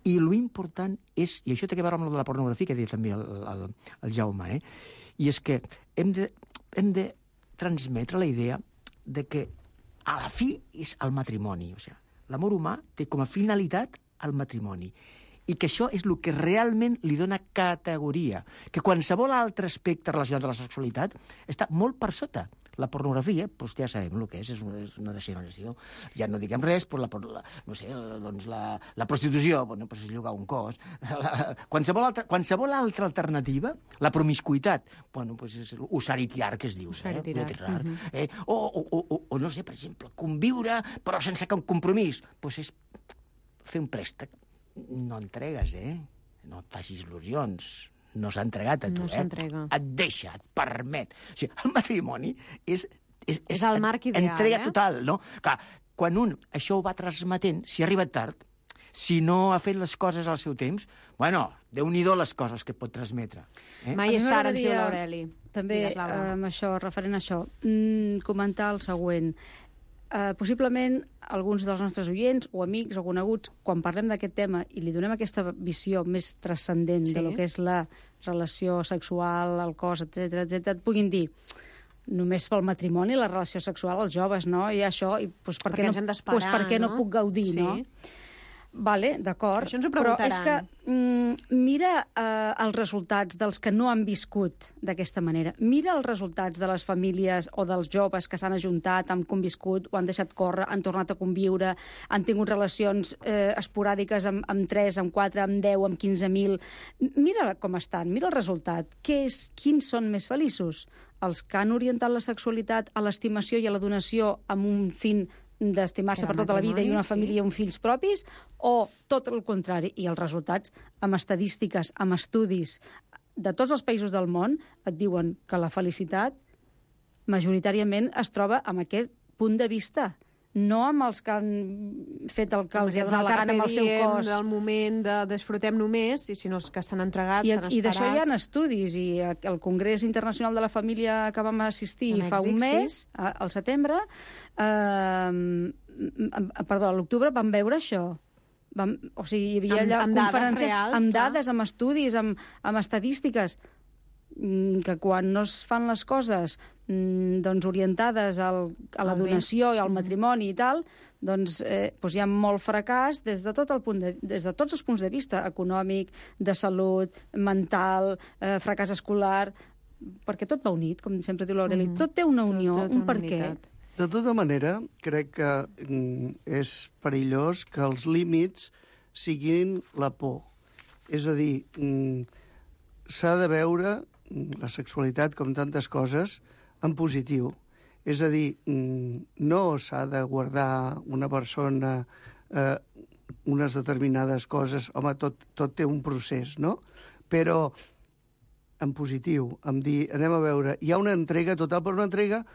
I lo important és, i això té a veure amb el de la pornografia, que deia també el, el, el Jaume, eh? I és que hem de, hem de transmetre la idea de que a la fi és el matrimoni. O sigui, l'amor humà té com a finalitat el matrimoni. I que això és el que realment li dona categoria. Que qualsevol altre aspecte relacionat amb la sexualitat està molt per sota. La pornografia, doncs ja sabem el que és, és una, és una degeneració. Ja no diguem res, però la, la, no sé, doncs la, la prostitució, bueno, doncs és llogar un cos. La, qualsevol, altra, qualsevol altra alternativa, la promiscuitat, bueno, doncs és usaritiar, que es diu, eh? Tirar. Uh-huh. eh? O, o, o, o, no sé, per exemple, conviure, però sense compromís. Doncs és fer un préstec. No entregues, eh? No et facis il·lusions. No s'ha entregat a tu, no eh? Et deixa, et permet. O sigui, el matrimoni és... És, és, és el marc ideal, entrega eh? total, no? Clar, quan un això ho va transmetent, si ha arribat tard, si no ha fet les coses al seu temps, bueno, déu-n'hi-do les coses que pot transmetre. Eh? Mai és tard, ens diu l'Aureli. També, amb això, referent a això, mm, comentar el següent. Uh, possiblement alguns dels nostres oients o amics o coneguts, quan parlem d'aquest tema i li donem aquesta visió més transcendent sí. de lo que és la relació sexual, el cos, etcètera, etcètera, et puguin dir només pel matrimoni, la relació sexual als joves, no? I això, i, pues, per, perquè què no, pues, per què no, no puc gaudir, sí. no? Vale, d'acord. Això ens ho però preguntaran. és que mm, mira eh, els resultats dels que no han viscut d'aquesta manera. Mira els resultats de les famílies o dels joves que s'han ajuntat, han conviscut, o han deixat córrer, han tornat a conviure, han tingut relacions eh, esporàdiques amb, amb tres, amb quatre, amb deu, amb quinze mil. Mira com estan, mira el resultat. Què és, quins són més feliços? Els que han orientat la sexualitat a l'estimació i a la donació amb un fin d'estimar-se per tota la vida i una família i uns fills propis, o tot el contrari. I els resultats, amb estadístiques, amb estudis de tots els països del món, et diuen que la felicitat majoritàriament es troba amb aquest punt de vista, no amb els que han fet el que els ha donat la gana amb el seu cos. Del moment de desfrutem només, i sinó els que s'han entregat, I, s'han esperat. I d'això hi ha estudis, i el Congrés Internacional de la Família que vam assistir en fa Mèxic, un mes, sí. al setembre, eh, perdó, a l'octubre vam veure això. Vam, o sigui, hi havia Amb- allà amb dades conferències reals, amb clar. dades, amb estudis, amb, amb estadístiques, que quan no es fan les coses doncs orientades al, a la Al bé. donació i al matrimoni i tal, doncs, eh, doncs hi ha molt fracàs des de, tot el punt de, des de tots els punts de vista, econòmic, de salut, mental, eh, fracàs escolar, perquè tot va unit, com sempre diu l'Aureli. Mhm. Tot té una unió, Tot- tot un una per què. unitat. De tota manera, crec que mm, és perillós que els límits siguin la por. És a dir, mm, s'ha de veure mm, la sexualitat, com tantes coses, en positiu. És a dir, mm, no s'ha de guardar una persona eh, unes determinades coses. Home, tot, tot té un procés, no? Però en positiu, em dir, anem a veure, hi ha una entrega total, però una entrega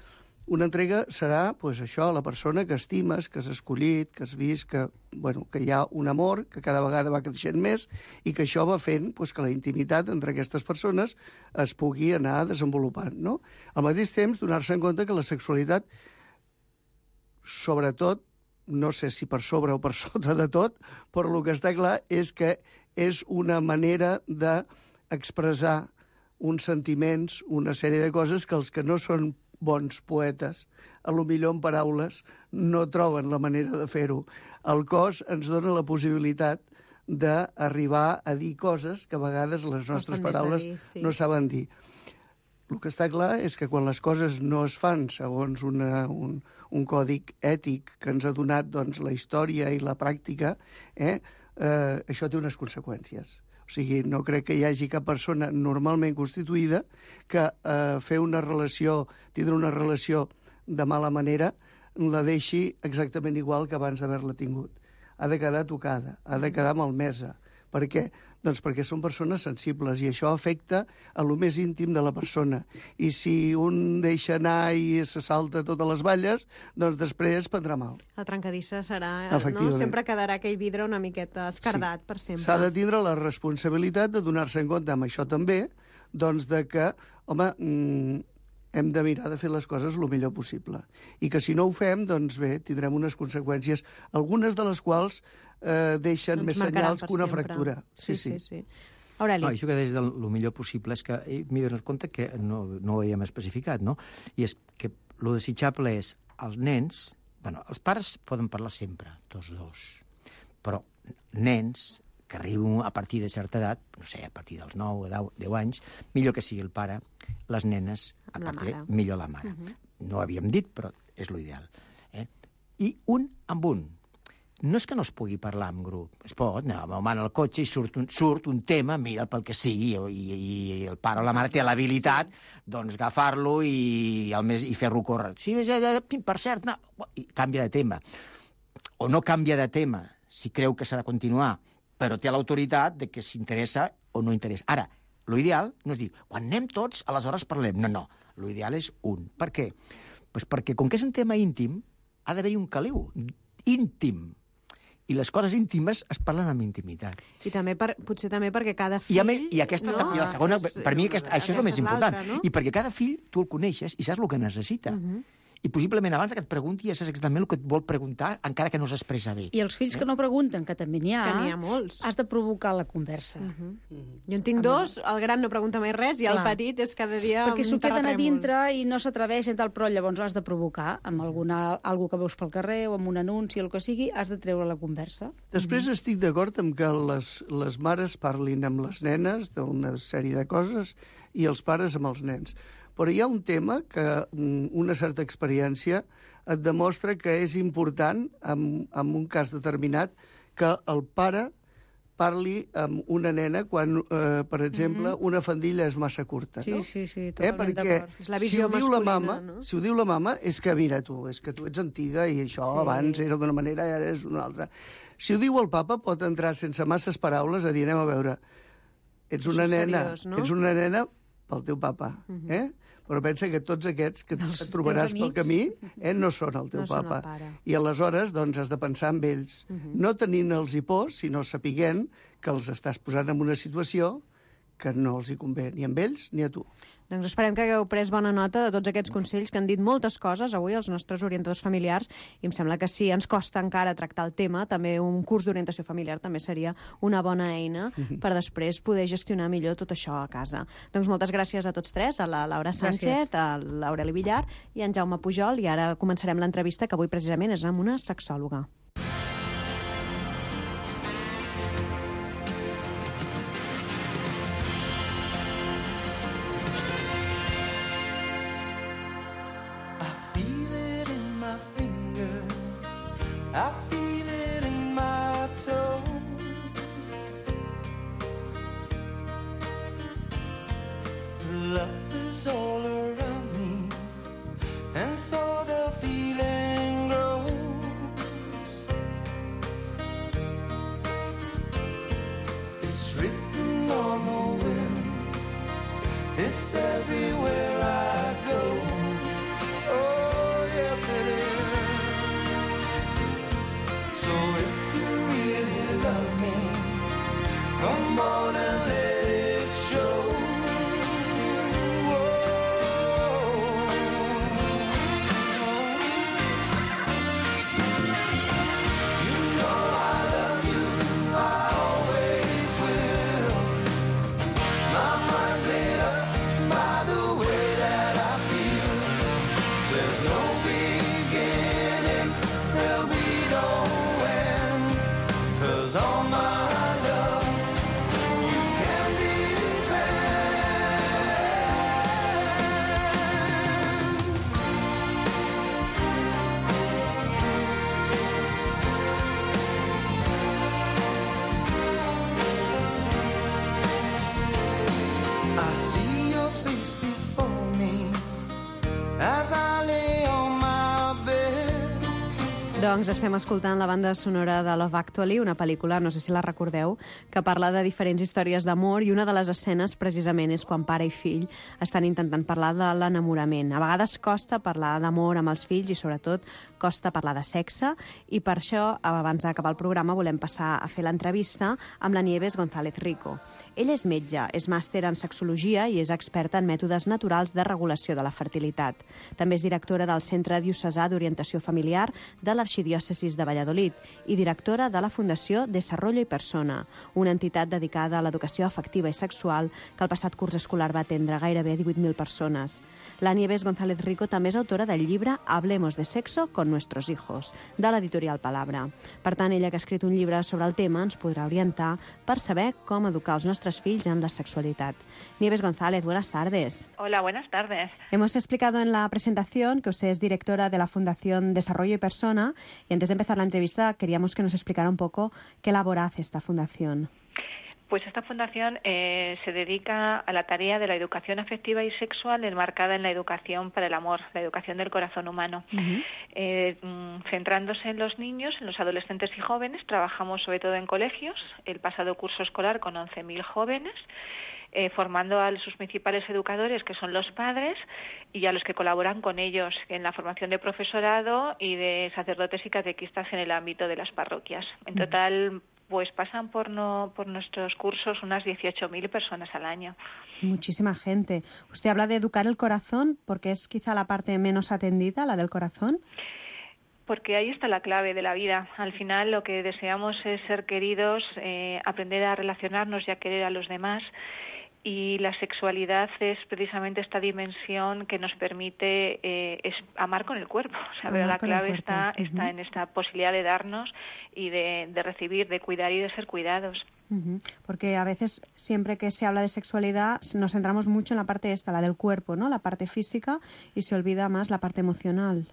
Una entrega serà, pues, això, la persona que estimes, que has escollit, que has vist que, bueno, que hi ha un amor que cada vegada va creixent més i que això va fent pues, que la intimitat entre aquestes persones es pugui anar desenvolupant, no? Al mateix temps, donar-se en compte que la sexualitat, sobretot, no sé si per sobre o per sota de tot, però el que està clar és que és una manera d'expressar uns sentiments, una sèrie de coses que els que no són bons poetes, a lo millor en paraules, no troben la manera de fer-ho. El cos ens dona la possibilitat d'arribar a dir coses que a vegades les nostres paraules dir, sí. no saben dir. El que està clar és que quan les coses no es fan segons una, un, un còdic ètic que ens ha donat doncs, la història i la pràctica, eh, eh, això té unes conseqüències. O sigui, no crec que hi hagi cap persona normalment constituïda que eh, fer una relació, tindre una relació de mala manera, la deixi exactament igual que abans d'haver-la tingut. Ha de quedar tocada, ha de quedar malmesa. Per què? Doncs perquè són persones sensibles i això afecta a lo més íntim de la persona. I si un deixa anar i se salta totes les valles, doncs després prendrà mal. La trencadissa serà... No? Sempre quedarà aquell vidre una miqueta escardat sí. per sempre. S'ha de tindre la responsabilitat de donar-se en compte amb això també, doncs de que, home, mm, hem de mirar de fer les coses el millor possible. I que si no ho fem, doncs bé, tindrem unes conseqüències, algunes de les quals eh, deixen Ens més senyals que una sempre. fractura. Sí, sí, sí. sí. Aureli. No, això que deies del el millor possible és que m'he donat compte que no, no ho havíem especificat, no? I és que el desitjable és els nens... Bueno, els pares poden parlar sempre, tots dos. Però nens que arriben a partir de certa edat, no sé, a partir dels nou o deu anys, millor que sigui el pare, les nenes, a partir, millor la mare. Uh-huh. No ho havíem dit, però és l'ideal. Eh? I un amb un. No és que no es pugui parlar en grup. Es pot anar amb el cotxe i surt un, surt un tema, mira, pel que sigui, i, i el pare o la mare té l'habilitat sí. doncs agafar-lo i, el més, i fer-lo córrer. Sí, per cert, no. I canvia de tema. O no canvia de tema, si creu que s'ha de continuar, però té l'autoritat de que s'interessa o no interessa. Ara, l'ideal no és dir, quan anem tots, aleshores parlem. No, no, l'ideal és un. Per què? Pues perquè, com que és un tema íntim, ha d'haver-hi un caliu íntim. I les coses íntimes es parlen amb intimitat. I també per, potser també perquè cada fill... I, a, I aquesta, no? I la segona, per mi aquesta, això és el més important. No? I perquè cada fill tu el coneixes i saps el que necessita. Uh-huh. i possiblement abans que et pregunti ja saps exactament el que et vol preguntar, encara que no s'expressa bé. I els fills eh? que no pregunten, que també n'hi ha, que n'hi ha molts, has de provocar la conversa. Uh -huh. Uh -huh. Jo en tinc dos, el gran no pregunta mai res i el Clar. petit és cada dia perquè s'ho un queden a terratrèmol. dintre i no s'atreveixen tal, però llavors has de provocar amb alguna, algú que veus pel carrer o amb un anunci o el que sigui, has de treure la conversa. Després uh -huh. estic d'acord amb que les, les mares parlin amb les nenes d'una sèrie de coses i els pares amb els nens. Però hi ha un tema que una certa experiència et demostra que és important, en, en un cas determinat, que el pare parli amb una nena quan, eh, per exemple, mm-hmm. una faldilla és massa curta. Sí, no? sí, sí, eh? totalment Perquè d'acord. És la visió si ho diu la masculina, mama, no? si ho diu la mama, és que, mira tu, és que tu ets antiga i això Sí. abans era d'una manera i ara és d'una altra. Si ho diu el papa, pot entrar sense masses paraules a dir, anem a veure, ets una Això és nena, seriós, no? ets una nena pel teu papa, Mhm. eh? Però pensa que tots aquests que Dels et trobaràs teus pel amics. camí eh, no són el teu No són el papa. pare. I aleshores doncs, has de pensar en ells, Mhm. no tenint-los por, sinó sapiguent que els estàs posant en una situació que no els hi convé ni a ells ni a tu. Doncs esperem que hagueu pres bona nota de tots aquests consells que han dit moltes coses avui els nostres orientadors familiars i em sembla que si ens costa encara tractar el tema, també un curs d'orientació familiar també seria una bona eina per després poder gestionar millor tot això a casa. Doncs moltes gràcies a tots tres, a la Laura Sánchez, Gràcies. a l'Aureli Villar i a en Jaume Pujol, i ara començarem l'entrevista que avui precisament és amb una sexòloga. I feel it in my toe. Love is all around me, and so the feeling grows. It's written on the wind, it's everywhere I go. Oh, yes it is. So if you really love me, come on and let it show. Whoa. You know I love you, I always will. My mind's made up by the way that I feel. There's no beginning, there'll be no end, 'cause all my love you can depend. I see your face before me as I lay on my bed. Doncs estem escoltant la banda sonora de Love Actually, una pel·lícula, no sé si la recordeu, que parla de diferents històries d'amor i una de les escenes precisament és quan pare i fill estan intentant parlar de l'enamorament. A vegades costa parlar d'amor amb els fills i sobretot costa parlar de sexe i per això, abans d'acabar el programa, volem passar a fer l'entrevista amb la Nieves González Rico. Ella és metge, és màster en sexologia i és experta en mètodes naturals de regulació de la fertilitat. També és directora del Centre Diocesà d'Orientació Familiar de l'Arxidiòcesis de Valladolid i directora de la Fundació Desarrollo y Persona, una entitat dedicada a l'educació afectiva i sexual que el passat curs escolar va atendre gairebé divuit mil persones. La Nieves González Rico també és autora del llibre Hablemos de sexo con nuestros hijos, de l'editorial Palabra. Per tant, ella que ha escrit un llibre sobre el tema ens podrà orientar per saber com educar els nostres fills en la sexualidad. Nieves González, buenas tardes. Hola, buenas tardes. Hemos explicado en la presentación que usted es directora de la Fundación Desarrollo y Persona y antes de empezar la entrevista queríamos que nos explicara un poco qué labor hace esta fundación. Pues esta fundación eh, se dedica a la tarea de la educación afectiva y sexual enmarcada en la educación para el amor, la educación del corazón humano. Uh-huh. eh, centrándose en los niños, en los adolescentes y jóvenes, trabajamos sobre todo en colegios, el pasado curso escolar con once mil jóvenes, Eh, formando a sus principales educadores, que son los padres, y a los que colaboran con ellos en la formación de profesorado y de sacerdotes y catequistas en el ámbito de las parroquias. En total, pues pasan por, no, por nuestros cursos unas dieciocho mil personas al año. Muchísima gente. Usted habla de educar el corazón, porque es quizá la parte menos atendida, la del corazón. Porque ahí está la clave de la vida. Al final lo que deseamos es ser queridos, eh, aprender a relacionarnos y a querer a los demás. Y la sexualidad es precisamente esta dimensión que nos permite eh, es amar con el cuerpo. O sea, pero la clave está, uh-huh. está en esta posibilidad de darnos y de, de recibir, de cuidar y de ser cuidados. Uh-huh. Porque a veces, siempre que se habla de sexualidad, nos centramos mucho en la parte esta, la del cuerpo, ¿no? La parte física, y se olvida más la parte emocional.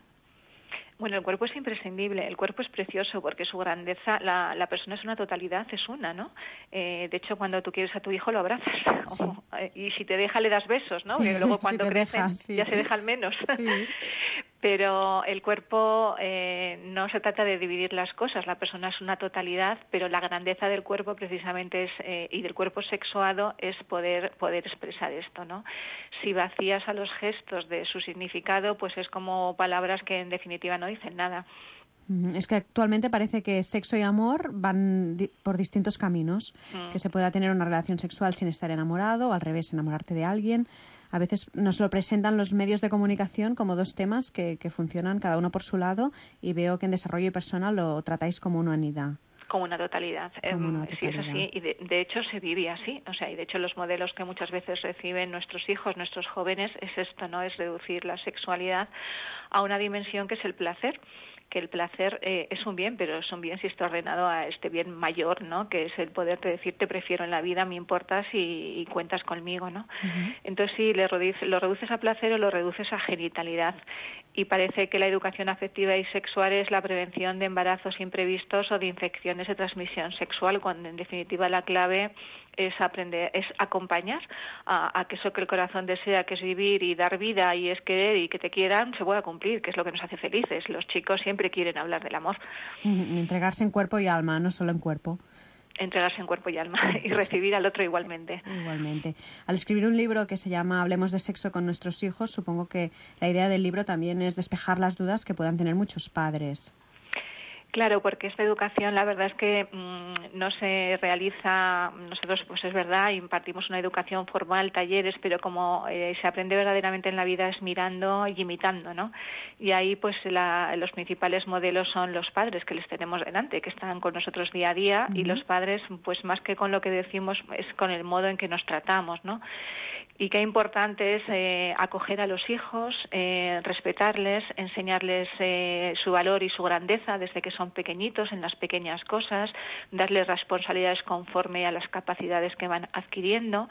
Bueno, el cuerpo es imprescindible, el cuerpo es precioso porque su grandeza, la, la persona es una totalidad, es una, ¿no? Eh, de hecho, cuando tú quieres a tu hijo lo abrazas, sí. o, eh, y si te deja le das besos, ¿no? Sí, porque luego cuando si crecen deja, sí. ya se dejan menos. Sí. Pero el cuerpo eh, no se trata de dividir las cosas, la persona es una totalidad, pero la grandeza del cuerpo precisamente es, eh, y del cuerpo sexuado es poder, poder expresar esto, ¿no? Si vacías a los gestos de su significado, pues es como palabras que en definitiva no dicen nada. Es que actualmente parece que sexo y amor van di- por distintos caminos, mm. que se pueda tener una relación sexual sin estar enamorado, o al revés, enamorarte de alguien. A veces nos lo presentan los medios de comunicación como dos temas que, que funcionan cada uno por su lado, y veo que en desarrollo personal lo tratáis como una unidad. Como una totalidad. Como una totalidad. Sí, es así. Y de, de hecho se vive así. O sea, y de hecho los modelos que muchas veces reciben nuestros hijos, nuestros jóvenes, es esto, ¿no? Es reducir la sexualidad a una dimensión que es el placer. Que el placer eh, es un bien, pero es un bien si está ordenado a este bien mayor, ¿no? Que es el poderte decir te prefiero en la vida, me importas y, y cuentas conmigo, ¿no? Uh-huh. Entonces sí, le reduces, lo reduces a placer o lo reduces a genitalidad. Y parece que la educación afectiva y sexual es la prevención de embarazos imprevistos o de infecciones de transmisión sexual, cuando en definitiva la clave es aprender, es acompañar a, a que eso que el corazón desea, que es vivir y dar vida y es querer y que te quieran, se pueda cumplir, que es lo que nos hace felices. Los chicos siempre quieren hablar del amor. Uh-huh. Entregarse en cuerpo y alma, no solo en cuerpo. Entregarse en cuerpo y alma y recibir al otro igualmente. Igualmente. Al escribir un libro que se llama Hablemos de sexo con nuestros hijos, supongo que la idea del libro también es despejar las dudas que puedan tener muchos padres. Claro, porque esta educación la verdad es que mmm, no se realiza, nosotros pues es verdad, impartimos una educación formal, talleres, pero como eh, se aprende verdaderamente en la vida es mirando y imitando, ¿no? Y ahí pues la, los principales modelos son los padres que les tenemos delante, que están con nosotros día a día, uh-huh. y los padres pues más que con lo que decimos es con el modo en que nos tratamos, ¿no? Y qué importante es eh, acoger a los hijos, eh, respetarles, enseñarles eh, su valor y su grandeza desde que son pequeñitos en las pequeñas cosas, darles responsabilidades conforme a las capacidades que van adquiriendo,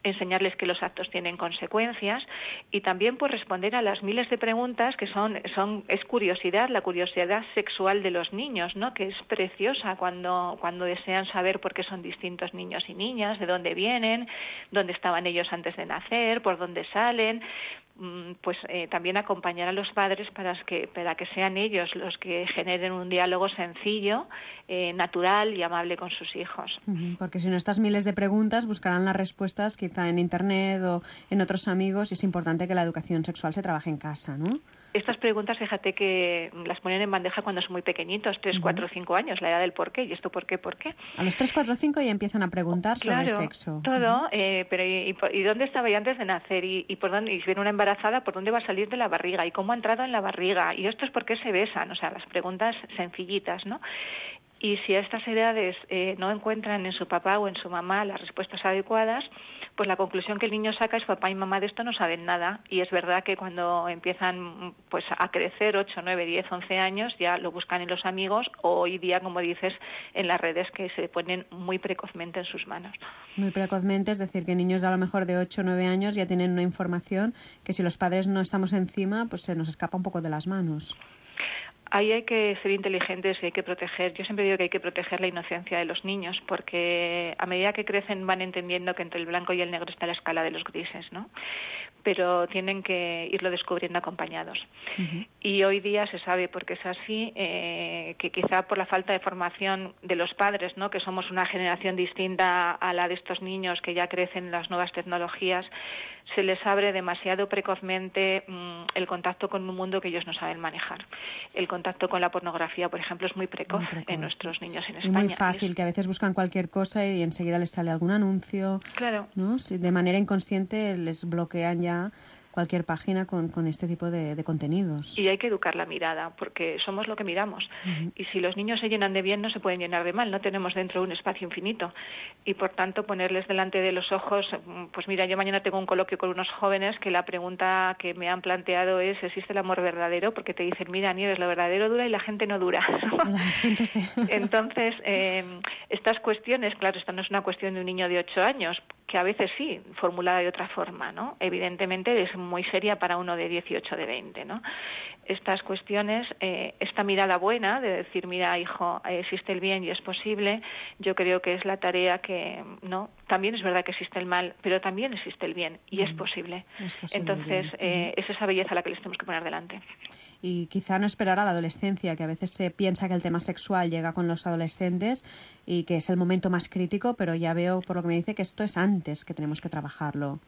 enseñarles que los actos tienen consecuencias y también pues responder a las miles de preguntas que son son es curiosidad, la curiosidad sexual de los niños, ¿no? Que es preciosa cuando cuando desean saber por qué son distintos niños y niñas, de dónde vienen, dónde estaban ellos antes de nacer, por dónde salen. Pues eh, también acompañar a los padres para que para que sean ellos los que generen un diálogo sencillo, eh, natural y amable con sus hijos. Porque si no, estas miles de preguntas buscarán las respuestas quizá en internet o en otros amigos, y es importante que la educación sexual se trabaje en casa, ¿no? Estas preguntas, fíjate que las ponen en bandeja cuando son muy pequeñitos, tres, cuatro, cinco años, la edad del por qué, y esto por qué, por qué. A los tres, cuatro, cinco ya empiezan a preguntar claro, sobre sexo. Todo, uh-huh. eh, pero ¿y, y, y dónde estaba yo antes de nacer? ¿Y, y por dónde? Y si viene una embarazada, ¿por dónde va a salir de la barriga? ¿Y cómo ha entrado en la barriga? ¿Y esto es por qué se besan? O sea, las preguntas sencillitas, ¿no? Y si a estas edades eh, no encuentran en su papá o en su mamá las respuestas adecuadas, pues la conclusión que el niño saca es papá y mamá de esto no saben nada. Y es verdad que cuando empiezan pues a crecer, ocho, nueve, diez, once años, ya lo buscan en los amigos o hoy día, como dices, en las redes que se ponen muy precozmente en sus manos. Muy precozmente, es decir, que niños de a lo mejor de ocho o nueve años ya tienen una información que si los padres no estamos encima, pues se nos escapa un poco de las manos. Ahí hay que ser inteligentes y hay que proteger. Yo siempre digo que hay que proteger la inocencia de los niños, porque a medida que crecen van entendiendo que entre el blanco y el negro está la escala de los grises, ¿no? Pero tienen que irlo descubriendo acompañados. Uh-huh. Y hoy día se sabe, porque es así, eh, que quizá por la falta de formación de los padres, ¿no? Que somos una generación distinta a la de estos niños que ya crecen en las nuevas tecnologías, se les abre demasiado precozmente mmm, el contacto con un mundo que ellos no saben manejar. El contacto con la pornografía, por ejemplo, es muy precoz, muy precoz en nuestros niños en España. Y muy fácil, que a veces buscan cualquier cosa y enseguida les sale algún anuncio. Claro. ¿No? Si de manera inconsciente les bloquean ya cualquier página con, con este tipo de, de contenidos. Y hay que educar la mirada, porque somos lo que miramos. Uh-huh. Y si los niños se llenan de bien, no se pueden llenar de mal. No tenemos dentro un espacio infinito. Y, por tanto, ponerles delante de los ojos... Pues mira, yo mañana tengo un coloquio con unos jóvenes que la pregunta que me han planteado es ¿existe el amor verdadero? Porque te dicen, mira, Nieves, lo verdadero dura y la gente no dura. La gente sí. Entonces, eh, estas cuestiones, claro, esta no es una cuestión de un niño de ocho años, que a veces sí, formulada de otra forma, ¿no? Evidentemente es muy seria para uno de dieciocho, de veinte, ¿no? Estas cuestiones, eh, esta mirada buena de decir, mira, hijo, existe el bien y es posible, yo creo que es la tarea que, ¿no? También es verdad que existe el mal, pero también existe el bien y mm. es posible. Es posible. Entonces, eh, es esa belleza la que les tenemos que poner delante. Y quizá no esperar a la adolescencia, que a veces se piensa que el tema sexual llega con los adolescentes y que es el momento más crítico, pero ya veo por lo que me dice que esto es antes que tenemos que trabajarlo.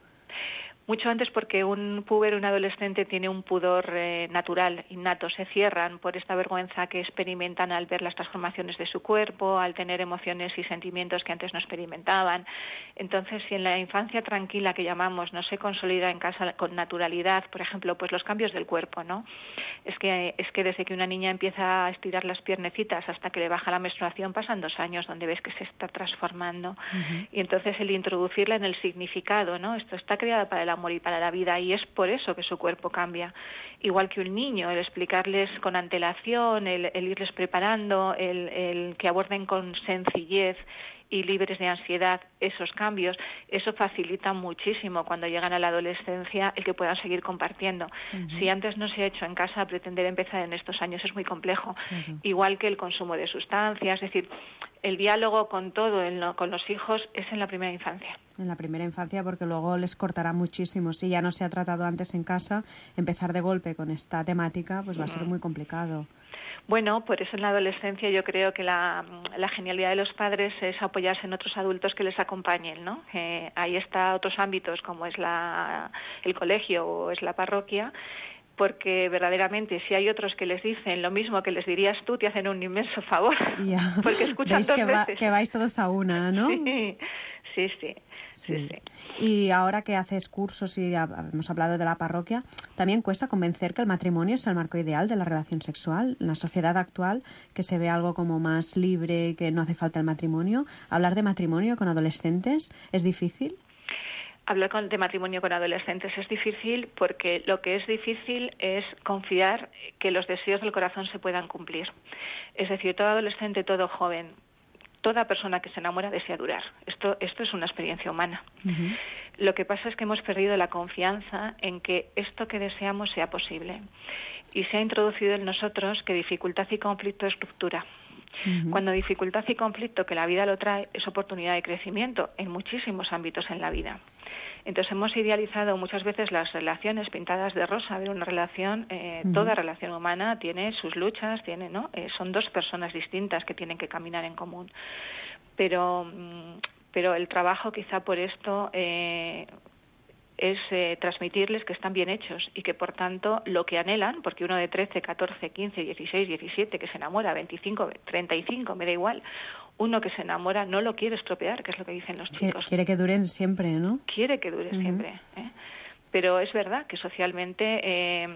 Mucho antes, porque un puber, un adolescente, tiene un pudor eh, natural, innato. Se cierran por esta vergüenza que experimentan al ver las transformaciones de su cuerpo, al tener emociones y sentimientos que antes no experimentaban. Entonces, si en la infancia tranquila, que llamamos, no se consolida en casa con naturalidad, por ejemplo, pues los cambios del cuerpo, ¿no? Es que, es que desde que una niña empieza a estirar las piernecitas hasta que le baja la menstruación pasan dos años donde ves que se está transformando. Uh-huh. Y entonces el introducirla en el significado, ¿no? Esto está creado para el amor y para la vida, y es por eso que su cuerpo cambia. Igual que un niño, el explicarles con antelación, el, el irles preparando, el, el que aborden con sencillez y libres de ansiedad esos cambios, eso facilita muchísimo cuando llegan a la adolescencia el que puedan seguir compartiendo. Uh-huh. Si antes no se ha hecho en casa, pretender empezar en estos años es muy complejo. Uh-huh. Igual que el consumo de sustancias, es decir, el diálogo con todo, el, con los hijos, es en la primera infancia. En la primera infancia, porque luego les cortará muchísimo. Si ya no se ha tratado antes en casa, empezar de golpe con esta temática pues va a ser muy complicado. Bueno, por eso en la adolescencia yo creo que la, la genialidad de los padres es apoyarse en otros adultos que les acompañen, ¿no? Eh, ahí está otros ámbitos como es la, el colegio o es la parroquia, porque verdaderamente si hay otros que les dicen lo mismo que les dirías tú, te hacen un inmenso favor, ya. Porque escuchan ¿Veis dos que va, veces. Que vais todos a una, ¿no? Sí, sí, sí. Sí. Sí, sí. Y ahora que haces cursos y hemos hablado de la parroquia, también cuesta convencer que el matrimonio es el marco ideal de la relación sexual. En la sociedad actual, que se ve algo como más libre, que no hace falta el matrimonio, ¿hablar de matrimonio con adolescentes es difícil? Hablar con, de matrimonio con adolescentes es difícil porque lo que es difícil es confiar que los deseos del corazón se puedan cumplir. Es decir, todo adolescente, todo joven, toda persona que se enamora desea durar. Esto, esto es una experiencia humana. Uh-huh. Lo que pasa es que hemos perdido la confianza en que esto que deseamos sea posible. Y se ha introducido en nosotros que dificultad y conflicto es ruptura. Uh-huh. Cuando dificultad y conflicto, que la vida lo trae, es oportunidad de crecimiento en muchísimos ámbitos en la vida. Entonces hemos idealizado muchas veces las relaciones pintadas de rosa. A ver, una relación, eh, uh-huh. toda relación humana tiene sus luchas, tiene, ¿no? Eh, son dos personas distintas que tienen que caminar en común. Pero, pero el trabajo quizá por esto eh, es eh, transmitirles que están bien hechos y que por tanto lo que anhelan, porque uno de trece, catorce, quince, dieciséis, diecisiete que se enamora, veinticinco, treinta y cinco, me da igual, uno que se enamora no lo quiere estropear, que es lo que dicen los chicos. Quiere que duren siempre, ¿no? Quiere que dure uh-huh. siempre, ¿eh? Pero es verdad que socialmente eh,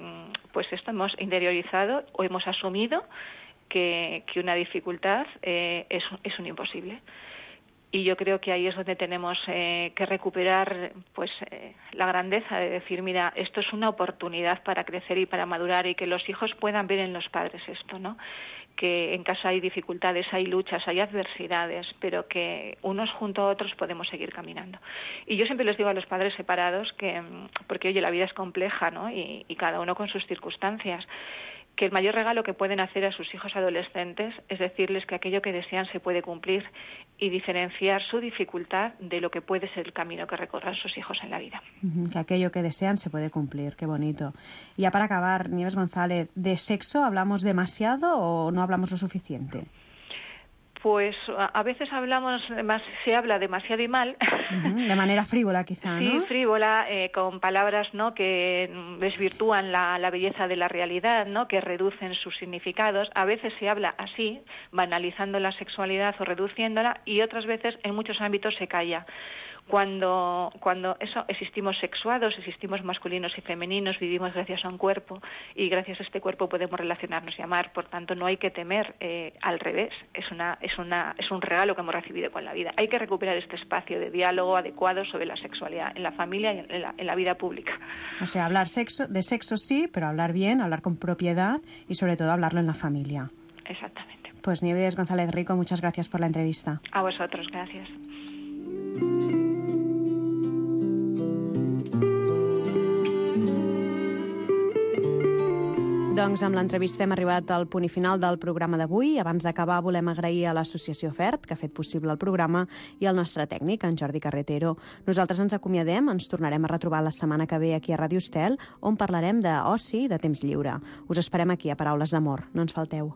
pues esto hemos interiorizado o hemos asumido que, que una dificultad eh, es, es un imposible. Y yo creo que ahí es donde tenemos eh, que recuperar pues eh, la grandeza de decir, mira, esto es una oportunidad para crecer y para madurar y que los hijos puedan ver en los padres esto, ¿no? Que en casa hay dificultades, hay luchas, hay adversidades, pero que unos junto a otros podemos seguir caminando. Y yo siempre les digo a los padres separados que, porque oye, la vida es compleja, ¿no? Y, y cada uno con sus circunstancias, que el mayor regalo que pueden hacer a sus hijos adolescentes es decirles que aquello que desean se puede cumplir y diferenciar su dificultad de lo que puede ser el camino que recorran sus hijos en la vida. Uh-huh, que aquello que desean se puede cumplir, qué bonito. Y ya para acabar, Nieves González, ¿de sexo hablamos demasiado o no hablamos lo suficiente? Pues a veces hablamos, más, se habla demasiado y mal. Uh-huh, de manera frívola, quizá, sí, ¿no? Sí, frívola, eh, con palabras, ¿no?, que desvirtúan la, la belleza de la realidad, ¿no?, que reducen sus significados. A veces se habla así, banalizando la sexualidad o reduciéndola, y otras veces en muchos ámbitos se calla. Cuando, cuando eso existimos sexuados, existimos masculinos y femeninos, vivimos gracias a un cuerpo y gracias a este cuerpo podemos relacionarnos y amar. Por tanto, no hay que temer, eh, al revés. Es una, es una, es un regalo que hemos recibido con la vida. Hay que recuperar este espacio de diálogo adecuado sobre la sexualidad en la familia y en la, en la vida pública. O sea, hablar sexo, de sexo sí, pero hablar bien, hablar con propiedad y sobre todo hablarlo en la familia. Exactamente. Pues Nieves González Rico, muchas gracias por la entrevista. A vosotros, gracias. Doncs amb l'entrevista hem arribat al punt i final del programa d'avui. Abans d'acabar volem agrair a l'Associació FERT, que ha fet possible el programa, i al nostre tècnic, en Jordi Carretero. Nosaltres ens acomiadem, ens tornarem a retrobar la setmana que ve aquí a Ràdio Estel, on parlarem d'oci i de temps lliure. Us esperem aquí a Paraules d'Amor. No ens falteu.